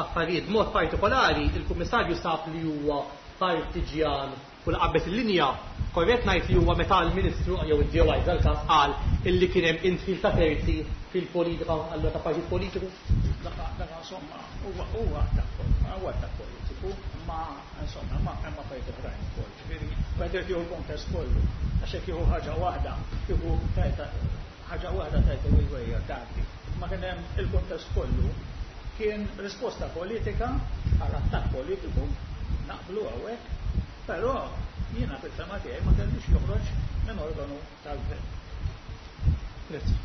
affarijiet. Mod partikolari il-Kummissarju sab li huwa partiġjan u qabeż il-linja. Korrett ngħid li huwa meta l-Ministru jew id-D O I dal-każ qal illi kien hemm indħil ta' terzi fil-politika, allura ta' partit politiku? Dak dak insomma huwa huwa attakk huwa attakk politiku, ma insomma ma hemm affarijiet oħrajn ukoll. Ġifieri wieħed irid jieħu l-kontest kollu. Għax jekk jieħu ħaġa waħda, kieku tajta ħaġa waħda tajta il-wejja tgħaddi. Ma kien hemm il-kontest kollu, kien risposta politika għal attakk politiku, naqblu hawnhekk, però jiena fil-fehma tiegħi ma kellix joħroġ minn organu tal-gvern. Grazzi.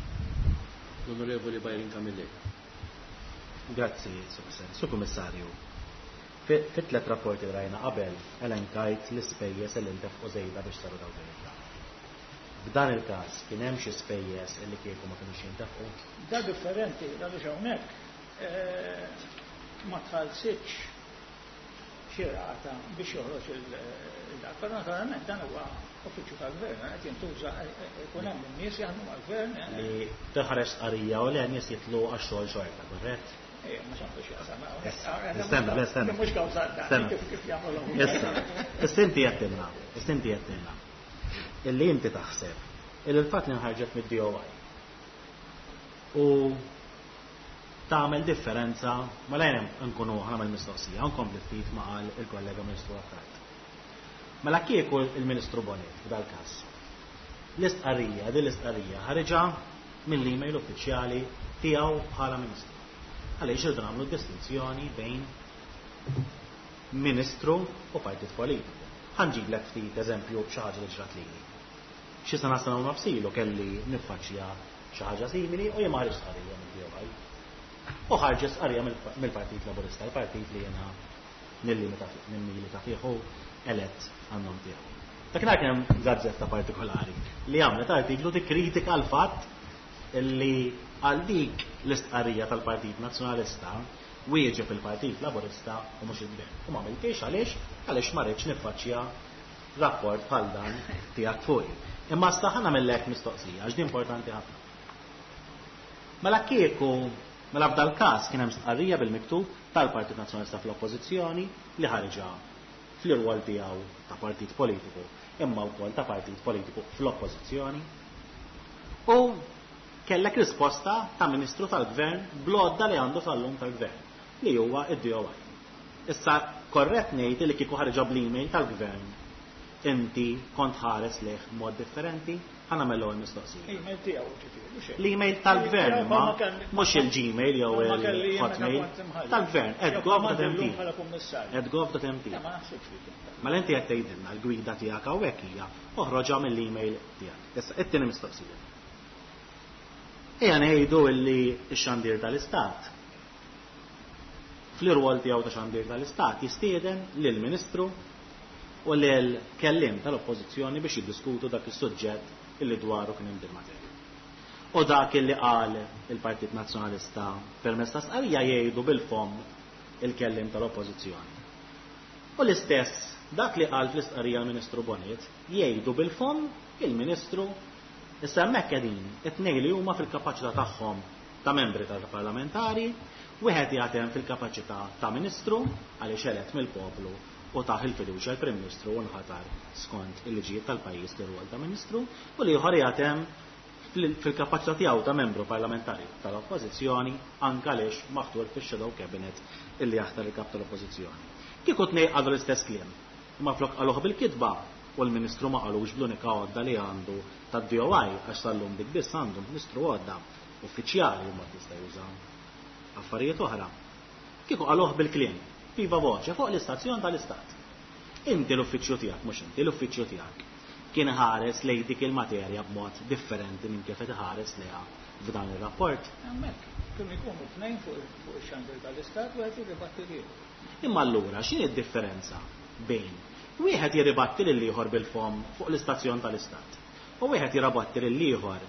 L-Onorevoli Byron Camilleri. Grazzi, Sur President. Sur Kummissarju, fit tlet rapporti li rajna qabel elenkajt l-ispejjeż li ntefqu żejda biex saru dawk ir-reklami. F'dan il-każ kien hemm xi spejjeż li kieku ma kinux jintefqu? Da differenti, għaliex hawnhekk eh, ma tħallsitx xi rata biex joħroġ il-dak. Però naturalment dan huwa uffiċċju tal-gvern, qed jintuża, ikun hemm in-nies jaħdmu mal-gvern. eh, Li toħroġ stqarrija u le, nies jitlu għax-xogħol xorta, korrett? Eh, ma xandu x'jaqsam. Stenna, le, stenna. Mhux kawża dan, Stenna. kif kif jagħmlu. Issa, issa inti għedtilna, issa inti għedtilna illi inti taħseb illi l-fatt li nħarġet mid-D O I u tagħmel differenza, ma lejn nkunu ħa nagħmel mistoqsija, nkompli ftit ma qal il-kollega Ministru Attard. Mela kieku il-Ministru Bonett f'dal każ. L-istqarrija, din l-istqarrija ħariġa mill-email uffiċjali tiegħu bħala Ministru. Għaliex irridu nagħmlu distinzjoni bejn Ministru u partit politiku. Ħa nġiblek ftit eżempju xi ħaġa li ġrat lili. Xi sena sena u nofs ilu kelli niffaċċja xi ħaġa simili u jien ma ħriġt stqarrija mill-D O I. U ħarġet stqarrija mill-Partit Laburista, il-partit li jiena nimmilita fih u elett għan-nom tiegħu. Dakinhar kien hemm gazzetta partikolari li għamlet artiklu tikkritika l-fatt li għal dik l-istqarrija tal-Partit Nazzjonalista wieġeb il-Partit Laburista u mhux il-Gvern. U ma għamiltix għaliex għaliex ma rridx niffaċċja rapport bħal dan tiegħek fuqi. Imma sta ħa nagħmillek mistoqsija, għax din importanti ħafna. Mela kieku, mela f'dal każ kien hemm stqarrija bil-miktub tal-Partit Nazzjonalista fl-Oppożizzjoni li ħarġa fl-irwol tiegħu ta' partit politiku, imma wkoll ta' partit politiku fl-Oppożizzjoni. U kellek risposta ta' Ministru tal-Gvern bl-għodda li għandu sal-lum tal-Gvern, li huwa id-D O I. Issa, korrett ngħid li kieku ħarġa bl-email tal-Gvern, inti kont ħares lejh mod differenti? Ħa nagħmel l-ewwel mistoqsija. Email tiegħu, ġifieri, mhux hekk. L-email tal-Gvern, ma mhux il-Gmail jew Ma kelli jien meta il-Hotmail kont imħallef. tal-Gvern, Jew at gov punt M T. bħala kummissarju. at gov punt M T. Le, ma naħsibx li kien. Mela inti qed tgħidilna l-gwida tiegħek hawnhekk hija oħroġha mill-email tiegħek. Issa, it-tieni mistoqsija. Ejja ngħidu illi x-xandir tal-Istat fl-irwol tiegħu ta' xandir tal-Istat jistieden lill-Ministru u lil kelliem tal-Oppożizzjoni biex jiddiskutu dak is-suġġett illi dwaru kien hemm materja. U dak illi qal il-Partit Nazzjonalista permezz ta' stqarrija jgħidu bil-fomm il-kelliem tal-Oppożizzjoni. U l-istess dak li qal fl-istqarrija l-Ministru Bonnici jgħidu bil-fomm il-Ministru. Issa hemmhekk qegħdin it-tnejn li huma fil-kapaċità tagħhom ta' membri tal-parlamentari, wieħed jagħtem fil-kapaċità ta' Ministru għaliex elett mill-poplu u tah il-fiduċja l-Prim Ministru u nħatar skont il-liġijiet tal-pajjiż li rwol ta' Ministru, u l-ieħor jagħtem fil-kapaċità tiegħu ta' membru parlamentari tal-Oppożizzjoni, anke għaliex maħtur fix-Shadow Cabinet illi jaħtar il-kap tal-Oppożizzjoni. Kieku tnejn qalu l-istess kliem, imma flok qaluh bil-kitba u l-Ministru ma qalux bl-unika għodda li għandu tad-D O I, għax sal-lum dik biss għandu Ministru, għodda uffiċjali, u ma tista' juża affarijiet oħra. Kieku qaluh bil-kliem, viva voce, fuq l-istazzjon tal-Istat. Inti l-uffiċċju tiegħek, mhux inti, l-uffiċċju tiegħek kien ħares lejn dik il-materja b'mod differenti minn kif qed iħares lejha f'dan ir-rapport? Hemmhekk kienu jkunu tnejn fuq fuq ix-xandir tal-Istat, wieħed jirribatti l-ieħor. Imma allura x'inhi d-differenza bejn wieħed jirribatti lil ieħor bil-fomm fuq l-istazzjon tal-Istat u wieħed jirribatti lil ieħor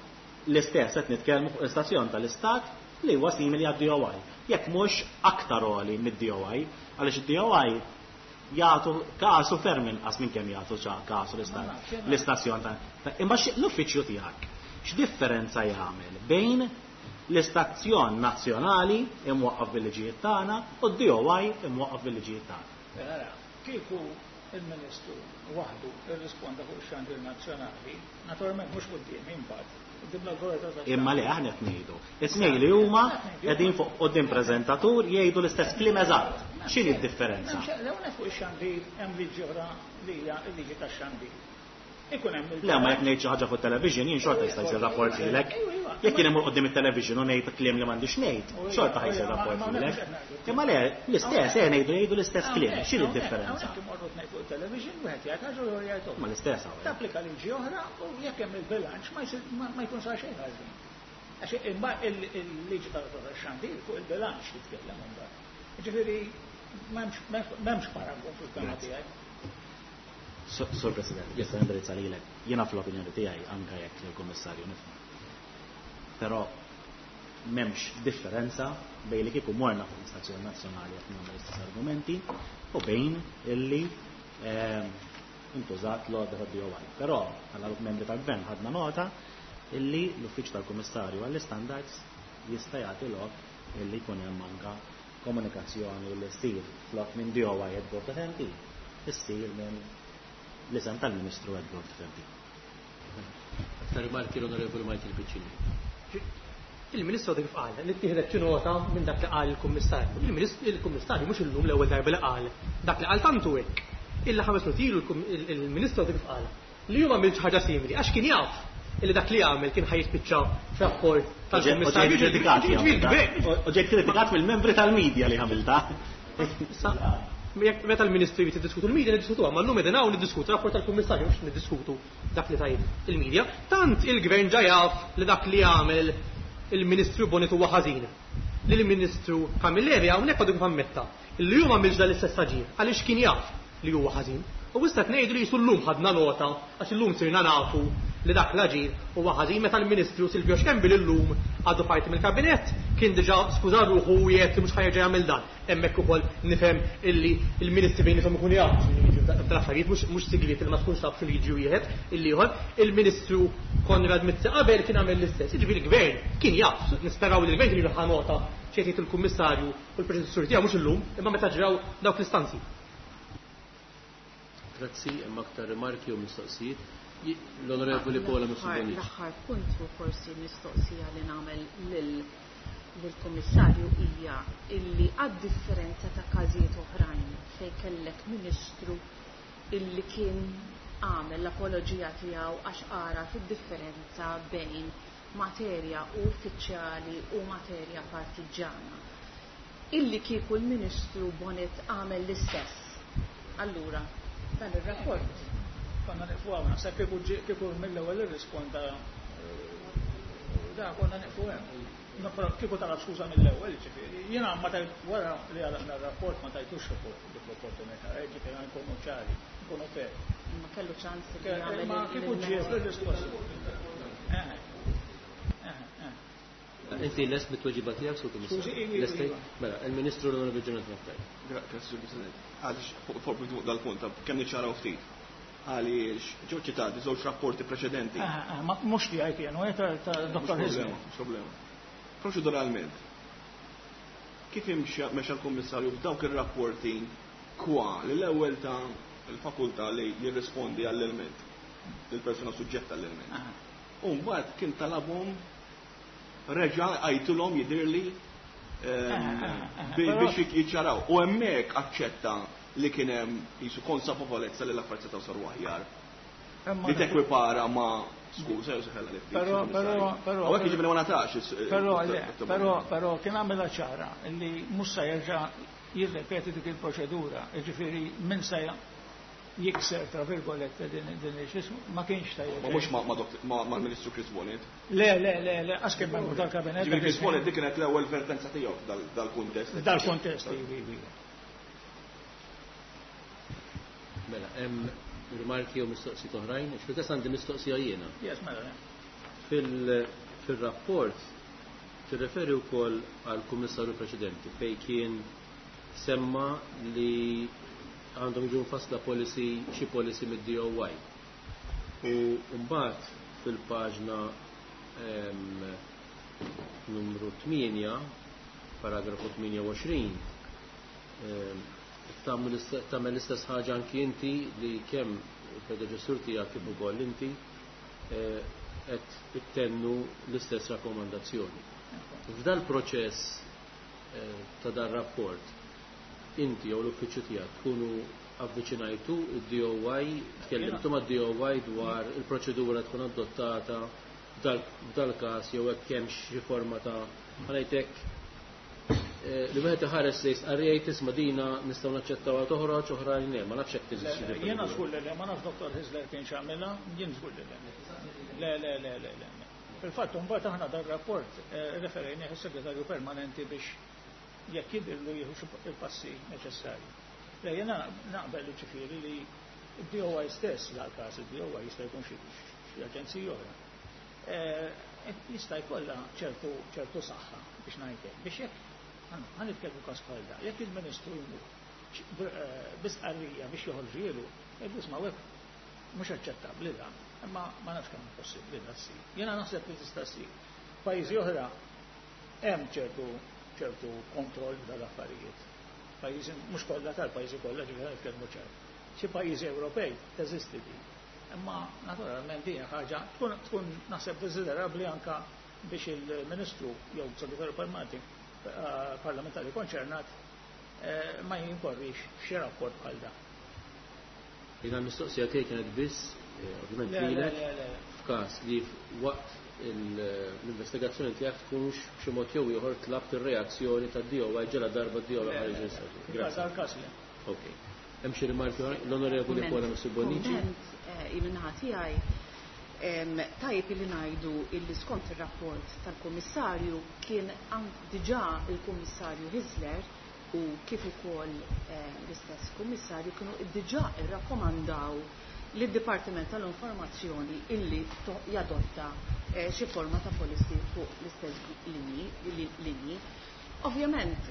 l-istess, qed nitkellmu fuq l-istazzjon tal-Istat li huwa simili għad-D O I, jekk mhux aktar għoli mid-D O I, għaliex id-D O I jagħtu kasu ferm inqas minn kemm jagħtu kasu l-istazzjon ta' Imma l-uffiċċju tiegħek x'differenza jagħmel bejn l-istazzjon nazzjonali imwaqqaf bil-liġijiet tagħna u d-D O I imwaqqaf bil-liġijiet tagħna? Mela, kieku il-Ministru waħdu irrisponda fuq ix-xandir nazzjonali, naturalment mhux quddiem imbagħad, quddiem l-awtorità tax Imma li aħna qed ngħidu, it-tnejn li huma qegħdin fuq quddiem preżentatur jgħidu l-istess kliem eżatt. X'inhi d-differenza? L-ewwel, fuq ix-xandir hemm liġi oħra li hija l-liġi tax-xandir. Ikun hemm Le, ma jekk ngħid xi ħaġa fuq television jien xorta jista' jsir rapport lilek. Jekk jien imur quddiem it-television u ngħid kliem li m'għandix ngħid, xorta ħa jsir rapport lilek. Imma le, l-istess, eh, ngħidu jgħidu l-istess kliem, x'inhi d-differenza? Hawnhekk imorru tnejn fuq il-television, wieħed jgħid ħaġa u ieħor jgħid oħra. Ma l-istess hawn. Tapplika liġi oħra u jekk hemm il-bilanċ ma jsir ma jkun sar xejn ħażin. Għax il-liġi tal-xandir fuq il-bilanċ titkellem imbagħad. Ġifieri m'hemmx paragun fil-kelma tiegħi. Sur President, jista' nindirizza lilek? Jiena fl-opinjoni tiegħi, anke jekk il-Kummissarju nifhmu. Però m'hemmx differenza bejn li kieku morna fuq l-istazzjoni nazzjonali qed nagħmel l-istess argumenti u bejn illi ehm, intużat l-għodda ta' D O I. Però bħala membri tal-Gvern ħadna nota illi l-Uffiċċju tal-Kummissarju għall-Standards jista' jagħti lok illi jkun hemm anka komunikazzjoni li ssir flok minn D O I at gov punt M T, issir minn l-isem tal-Ministru at gov punt M T. Aktar rimarki, l-Onorevoli Michael Piccinni. Il-Ministru kif qal li ttieħdet xi nota minn dak li qal il-Kummissarju. Il-Ministru, il-Kummissarju mhux illum l-ewwel darba li qal dak li qal, tantu hekk. Illa ħames minuti ilu il-Ministru kif qal li huma għamil ħaġa simili għax kien jaf illi dak li għamel kien ħa jispiċċa f'rapport tal-Kummissarju. U ġejt kritikat mill-membri tal-medja li għamilta. Issa, meta l-Ministru jrid jiddiskutu l-media niddiskutuha, ma llum qegħdin hawn niddiskutu rapport tal-Kummissarju mhux niddiskutu dak li tajt il-media. Tant il-Gvern ġa jaf li dak li għamel il-Ministru Bonett huwa ħażin. Li l-Ministru Camilleri hawnhekk għadu kif ammetta li hu m'għamilx dan l-istess aġir għaliex kien jaf li huwa ħażin. U issa qed ngħidu li jisu llum ħadna nota għax illum sirna nafu li dak l-aġir huwa ħażin meta l-Ministru Silvio Schembri llum għadu parti mill-kabinett kien diġà skuża ruħu u jgħid li mhux ħa jerġa' jagħmel dan. Hemmhekk ukoll nifhem illi l-Ministri bejniethom ikunu jafu x'inhu jiġri f'dal-affarijiet, mhux mhux sigriet li ma tkunx taf x'inhu jiġri wieħed il-ieħor. Il-Ministru Konrad Mizzi qabel kien għamel l-istess. Jiġifieri l-Gvern kien jaf, nisperaw li l-Gvern kien ħa nota x'qed jgħid il-Kummissarju u l-predeċessur tiegħu mhux illum, imma meta ġraw dawk l-istanzi. Grazzi, hemm aktar rimarki u mistoqsijiet. L-Onorevoli Paola Mifsud Bonnici. L-aħħar punt u forsi mistoqsija li nagħmel lill-Kummissarju hija illi għad-differenza ta' każijiet oħrajn fejn kellek Ministru illi kien għamel l-apoloġija tiegħu għax ara fid-differenza bejn materja uffiċjali u materja partiġġana. Illi kieku l-Ministru Bonett għamel l-istess. Allura, dan ir-rapport. Konna nieqfu hawn, naħseb kieku ġie kieku mill-ewwel irrisponda da konna nieqfu hemm. No, però kieku talab skuża mill-ewwel, ġifieri. Jiena ma tajt wara li għalaqna r-rapport ma tajtux dik l-opportunità, ġifieri nkunu ċari, nkunu fair. Ma kellu ċans li jagħmel Ma kieku ġie fir-risposta. Eh, eh, eh. Inti lest bit-tweġiba tiegħek, Sur Kummissarju? Skużi, ivi, Lestej? iva. Mela, il-Ministru l-Onorevoli Jonathan Attard. Grazzi, Sur President. Għaliex fuq fuq dal-punt, kemm niċċaraw ftit. Għaliex ġew ċitati żewġ rapporti preċedenti. Ah, ah, ma mhux tiegħi kienu, eh, ta' ta' Mhux Dottor problema, Hyzler. mhux problema. Proċeduralment, kif imxi mexa l-Kummissarju f'dawk ir-rapporti kwa li l-ewwel ta' il-fakultà li jirrispondi għall-ilment, lill-persuna suġġetta għall-ilment. Ah. U mbagħad kien talabhom reġa' għajtulhom jidhirli ehm, Ah, ah, ah, bi- però- biex jiċċaraw. U hemmhekk aċċetta li kien hemm qisu konsapevolezza li l-affarijiet setgħu saru aħjar. Imma Li tekwipara ma' skuża jew seħella li ftit. Però, però, però. Hawnhekk jiġifieri ma natax is- Però, il- le, il- però, però kien għamilha ċara li mhux se jerġa' jirrepeti dik il-proċedura, jiġifieri min se jikser tra virgolette din din il-xismu, ma kienx ta' Ma mhux ma' ma' dott- ma' mal-Ministru Chris Bonett. Le, le, le, le, għax kien membru tal-kabinet. Ġifieri Chris Bonett dik kienet l-ewwel vertenza tiegħu f'dal- dal-kuntest. Dal-kontest, ivi, ivi. Mela, hemm rimarki u mistoqsijiet oħrajn? Fil-każ għandi mistoqsija jiena. Yes, mela, le. Fil- Fil-rapport tirreferi wkoll għal kummissarju preċedenti fejn kien semma li għandhom jiġu mfassla policy xi policy mid-D O Y. U mbagħad fil-paġna, ehm, numru tmienja, paragrafu tmienja u għoxrin, ehm, tagħmel l-istess, tagħmel l-istess ħaġa anki inti li kemm il-predeċessur tiegħek kif ukoll inti, eh, qed ittennu l-istess rakkomandazzjoni. F'dal proċess, eh, ta' dar rapport, inti jew l-uffiċċju tiegħek tkunu avviċinajtu id-D O Y, tkellimtu mad-D O Y dwar il-proċedura tkun adottata f'dal, f'dal każ jew hekk hemm xi forma ta' ħanejtek, eh, li wieħed iħares li jistqarrija tisma' dina nistgħu naċċettawha toħroġ oħrajn le, ma nafx hekk teżisti Le, le, xi jiena proċedura. żgur li le, ma nafx Dottor Hyzler kien x'għamilha, jien żgur li le. Le, le, le, le, le. Fil-fatt mbagħad aħna dar-rapport, eh, referejnieh is-segretarju permanenti biex jekk jidhirlu jieħu xi il-passi neċessarji. Le, jiena naqbel ġifieri li d-D O Y stess, dal-każ id-D O Y jista' jkun xi, xi aġenzija oħra. Eh, jista' jkollha ċertu, ċertu saħħa biex ngħidlek, biex jekk ħa nitkellmu każ bħal da, jekk il-Ministru jmur eh, bi stqarrija biex joħorġielu, jgħidu isma' hekk mhux aċċettabbli da, imma ma nafx kemm possibbli da ssir. Jiena naħseb li tista' ssir. Pajjiżi oħra hemm ċertu, ċertu kontroll dal-affarijiet. Pajjiżi mhux kollha tal-pajjiżi kollha ġifieri nitkellmu ċar. Xi pajjiżi Ewropej teżisti din. Imma naturalment din hija ħaġa tkun, tkun naħseb desiderabbli anka biex il-Ministru jew segretarju permanenti, eh, parlamentari konċernat, eh, ma jinkorrix f'xi rapport bħal dan. Jiena l-mistoqsija tiegħi kienet biss, eh, ovvjament Le, le, lilek, le, le. F'każ li waqt l-investigazzjoni tiegħek tkunx b'xi mod jew ieħor tlabt ir-reazzjoni tad-D O I ġela darba d-D O I ħareġ. Grazzi. Ok. Hemm xi rimarki oħra? L-Onorevoli Paula Mifsud Bonnici. Min-naħa tiegħi, tajjeb li ngħidu illi skont ir-rapport tal-Kummissarju kien diġà il-Kummissarju Hyzler u kif ukoll l-istess Kummissarju kienu diġà irrakkomandaw lid-Dipartiment tal-Informazzjoni illi jadotta xi forma ta' policy fuq l-istess linji. Ovvjament,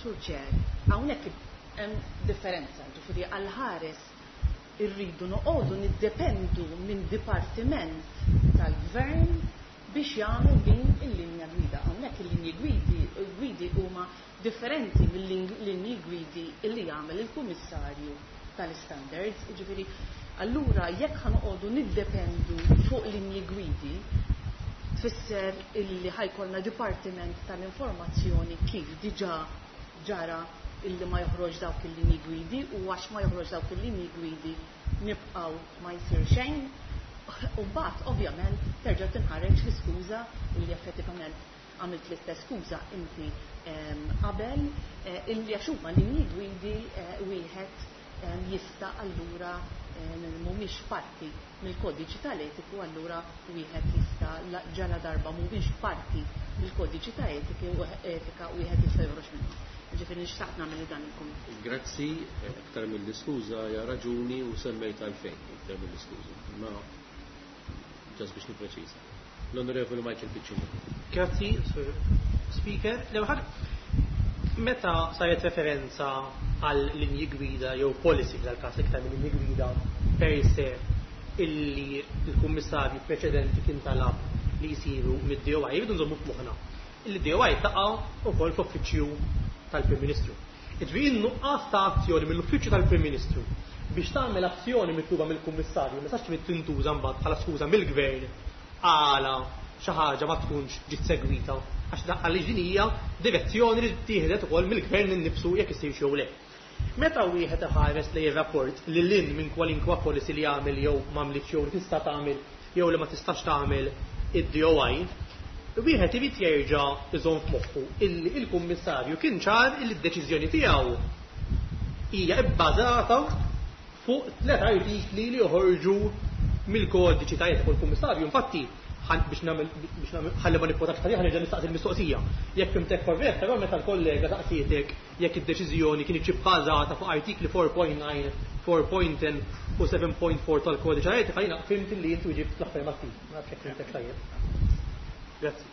Sur Chair, hawnhekk hemm differenza, ġifieri għal-ħares irridu noqogħdu niddependu minn dipartiment tal-gvern biex jagħmel din il-linja gwida. Hawnhekk il-linji gwidi gwidi huma differenti mill-linji gwidi illi jagħmel il-Kummissarju tal-Standards. Ġifieri, allura jekk ħa noqogħdu niddependu fuq linji gwidi, tfisser illi ħa jkollna dipartiment tal-informazzjoni kif diġà ġara illi ma joħroġ dawk il-linji gwidi, u għax ma joħroġ dawk il-linji gwidi nibqgħu ma jsir xejn. U mbagħad ovvjament terġa' tinħareġ l-iskuża illi effettivament għamilt l-istess skuża inti qabel, illi għax huma linji gwidi wieħed jista' allura mhumiex parti mill-kodiċi tal-etiku, allura wieħed jista' ġala darba mhumiex parti mill-kodiċi ta' etika wieħed jista' joħroġ minnhom. Ġifieri nixtaqt nagħmel dan il-kumment. Grazzi, aktar mill-iskuża hija raġuni u semmejt għalfejn aktar mill-iskuża. Ma just biex nippreċiża. L-Onorevoli Michael Piccinino. Grazzi, Sur Speaker. L-ewwel, meta saret referenza għal linji gwida jew policy, f'dal-każ iktar minn linji gwida per se, illi l-kummissarju preċedenti kien talab li jisiru mid-D O I, jridu nżommu f'moħħna il-D O I taqa' ukoll fl-uffiċċju tal-Prim Ministru. Ġifieri nuqqas ta' azzjoni mill-uffiċċju tal-Prim Ministru biex tagħmel azzjoni mitluba mill-Kummissarju ma sax tintuża mbagħad bħala skuża mill-Gvern għala xi ħaġa ma tkunx ġiet segwita, għax għaliex din hija direzzjoni li tieħdet ukoll mill-Gvern innifsu jekk isir jew le. Meta wieħed iħares li rapport li lin minn kwalinkwa policy li jagħmel jew m'għamlitx jew li tista' tagħmel jew li ma tistax tagħmel id-D O I, wieħed irid jerġa' iżomm f'moħħu illi il-Kummissarju kien ċar illi d-deċiżjoni tiegħu hija bbażata fuq tliet artikli li joħorġu mill-kodiċi ta' etika. Il-Kummissarju infatti, biex nagħmel biex nagħmel ħalli ma nikkotax ta' ħa nerġa' nistaqsi l-mistoqsija. Jekk fhimtek korrett, però meta l-kollega saqsietek jekk id-deċiżjoni kien bbażata fuq artikli erbgħa punt disa', erbgħa punt għaxra u sebgħa punt erbgħa tal-kodiċi ta' etika, jiena fhimt li inti ġibt l-affermattiv. Ma nafx jekk fhimtek tajjeb. Grazzi.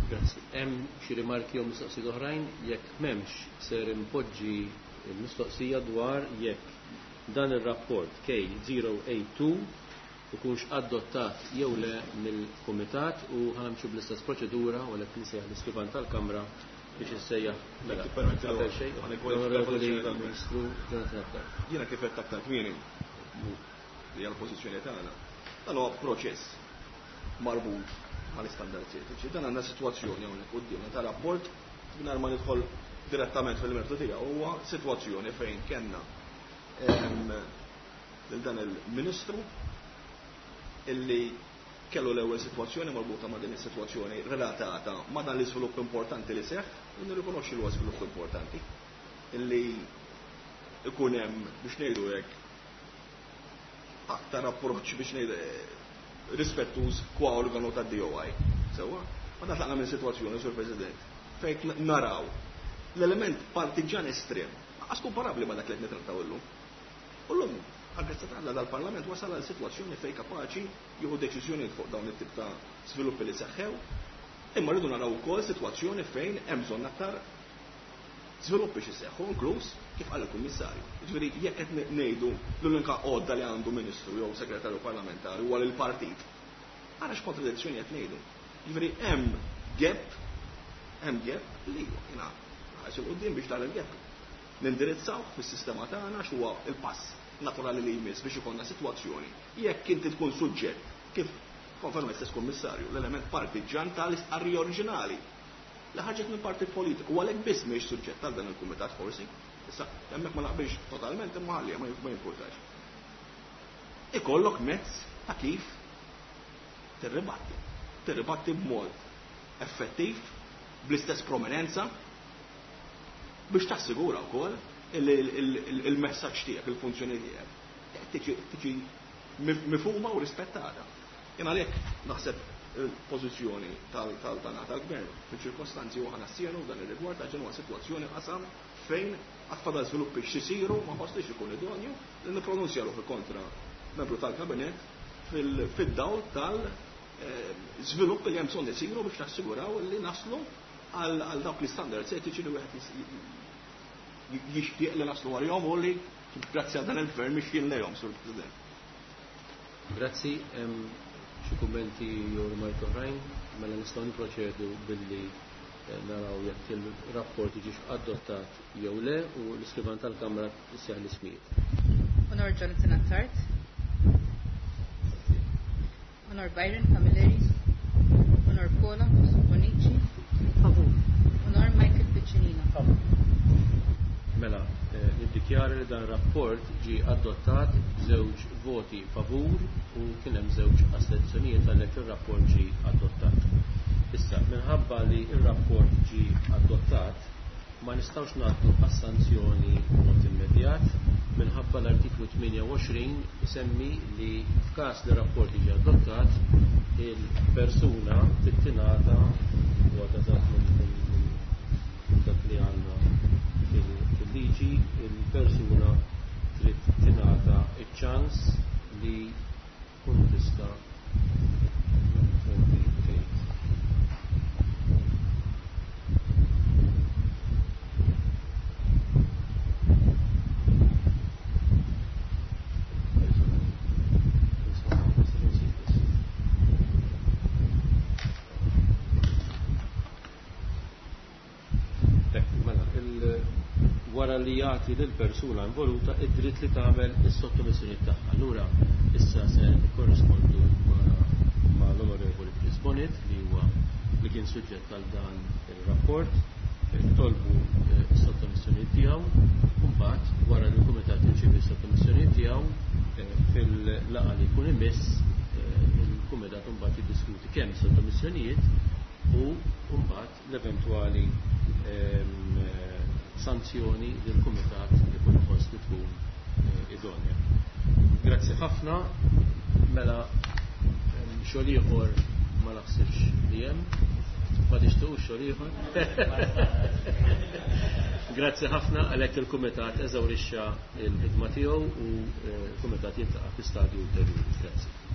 Grazzi. Hemm xi rimarki jew mistoqsijiet oħrajn? Jekk m'hemmx, ser impoġġi l-mistoqsija dwar jekk dan ir-rapport K żero tnejn tnejn ikunx adottat jew le mill-Kumitat, u ħa nimxu bl-istess proċedura u għalhekk nsejjaħ l-iskrivan tal-Kamra biex issejjaħ. Mela, qabel xejn, l-Onorevoli Ministru Jonathan Attard. Jiena kif qed aktar kmieni li hija l-pożizzjoni tagħna. Dan huwa proċess marbut mal-istandards etiċi. Dan għandna sitwazzjoni hawnhekk quddiemna ta' rapport, mingħajr ma nidħol direttament fil-mertu tiegħu, huwa sitwazzjoni fejn kellna lil dan il-Ministru illi kellu l-ewwel sitwazzjoni marbuta ma' din is-sitwazzjoni relatata ma' dan l-iżvilupp importanti li seħħ, u nirrikonoxxi li huwa żvilupp importanti illi ikun hemm, biex ngħidu hekk, aktar approċċ, biex ngħidu, rispettuż kwa organu tad-D O I. Sewwa, ma tlaqna minn sitwazzjoni, Sur President, fejn naraw l-element partiġan estrem, għas komparabbli ma dak li qed nitrattaw illum. U llum, għal ta' dal-Parlament wasal għal sitwazzjoni fejn kapaċi jieħu deċiżjoni fuq dawn it-tip ta' sviluppi li seħħew, imma rridu naraw ukoll sitwazzjoni fejn hemm bżonn aktar żviluppi xi seħħu, inkluż kif qal il-Kummissarju. Jiġifieri jekk qed ngħidu l-unika għodda li għandu ministru jew segretarju parlamentari huwa l-partit, ara x'kontradizzjoni qed ngħidu. Jiġifieri hemm gap, hemm gap li jiena ħares 'il quddiem biex dan il-gap nindirizzaw fis-sistema tagħna, x'huwa il-pass naturali li jmiss biex ikollna sitwazzjoni. Jekk inti tkun suġġett, kif konferma stess Kummissarju, l-element partiġan tal-istqarrija oriġinali li ħarġet minn partit politiku, u għalhekk biss mhijiex suġġett għal dan il-kumitat forsi. Issa, hemmhekk ma naqbilx totalment, imma ħalli ma jimpurtax. Ikollok mezz ta' kif tirribatti. Tirribatti b'mod effettiv, bl-istess prominenza, biex tassigura wkoll il-messaġġ tiegħek, il-funzjoni tiegħek tiġi mifhuma u rispettata. Jien għalhekk naħseb il-pożizzjoni tal-tana tal-gvern fil-ċirkostanzi u ħana s-sienu dan ir-rigward għax huwa sitwazzjoni qasam fejn għad fadal żviluppi x'isiru ma ħossniex ikun idonju li nippronunzja ruħi kontra membru tal-kabinett fid-dawl tal-żvilupp li hemm bżonn isiru biex nassiguraw li naslu għal dawk l-istandards etiċi li wieħed jixtieq li naslu għalihom u li grazzi għal dan il-gvern mixjin lejhom, Sur President. Grazzi, xi kummenti jew rimarki oħrajn, mela nistgħu niproċedu billi naraw jekk il-rapport jiġix adottat jew le u l-iskrivan tal-Kamra issejjaħ l-ismijiet. Onor Jonathan Attard. Onor Byron Camilleri. Onor Paula Bonici. Favur. Onor Michael Piccinino. Favur. Mela, niddikjara li dan rapport ġie adottat b'żewġ voti favur u kien hemm żewġ astenzjonijiet għalhekk ir-rapport ġie adottat. Issa, minħabba li r-rapport ġie adottat, ma nistgħux ngħaddu għas-sanzjoni b'mod immedjat minħabba l-artiklu tmienja u għoxrin isemmi li f'każ li rapport jiġi adottat il-persuna tittingħata u għadha minn dak li għandna fil-liġi, il-persuna trid tingħata iċ-ċans li tkun tista' tgħid. Wara li jagħti lill-persuna involuta id-dritt li tagħmel is-sottomissjoni tagħha. Allura issa se nikkorrispondu ma' l-Onorevoli Chris Bonett li huwa li kien suġġett għal dan ir-rapport, tolbu s-sottomissjoni tiegħu u mbagħad wara li l-kumitat jirċievi s-sottomissjoni tiegħu fil-laqgħa li jkun imiss il-kumitat mbagħad jiddiskuti kemm is-sottomissjonijiet u mbagħad l-eventwali sanzjoni li l-kumitat ikun iħoss li tkun idonja. Grazzi ħafna, mela xogħol ieħor ma naħsibx li hemm, ma tixtiequx xogħol ieħor. Grazzi ħafna għalhekk il-kumitat eżawrixxa l-ħidma tiegħu u l-kumitat jiltaqa' fi stadju ulterjuri. Grazzi.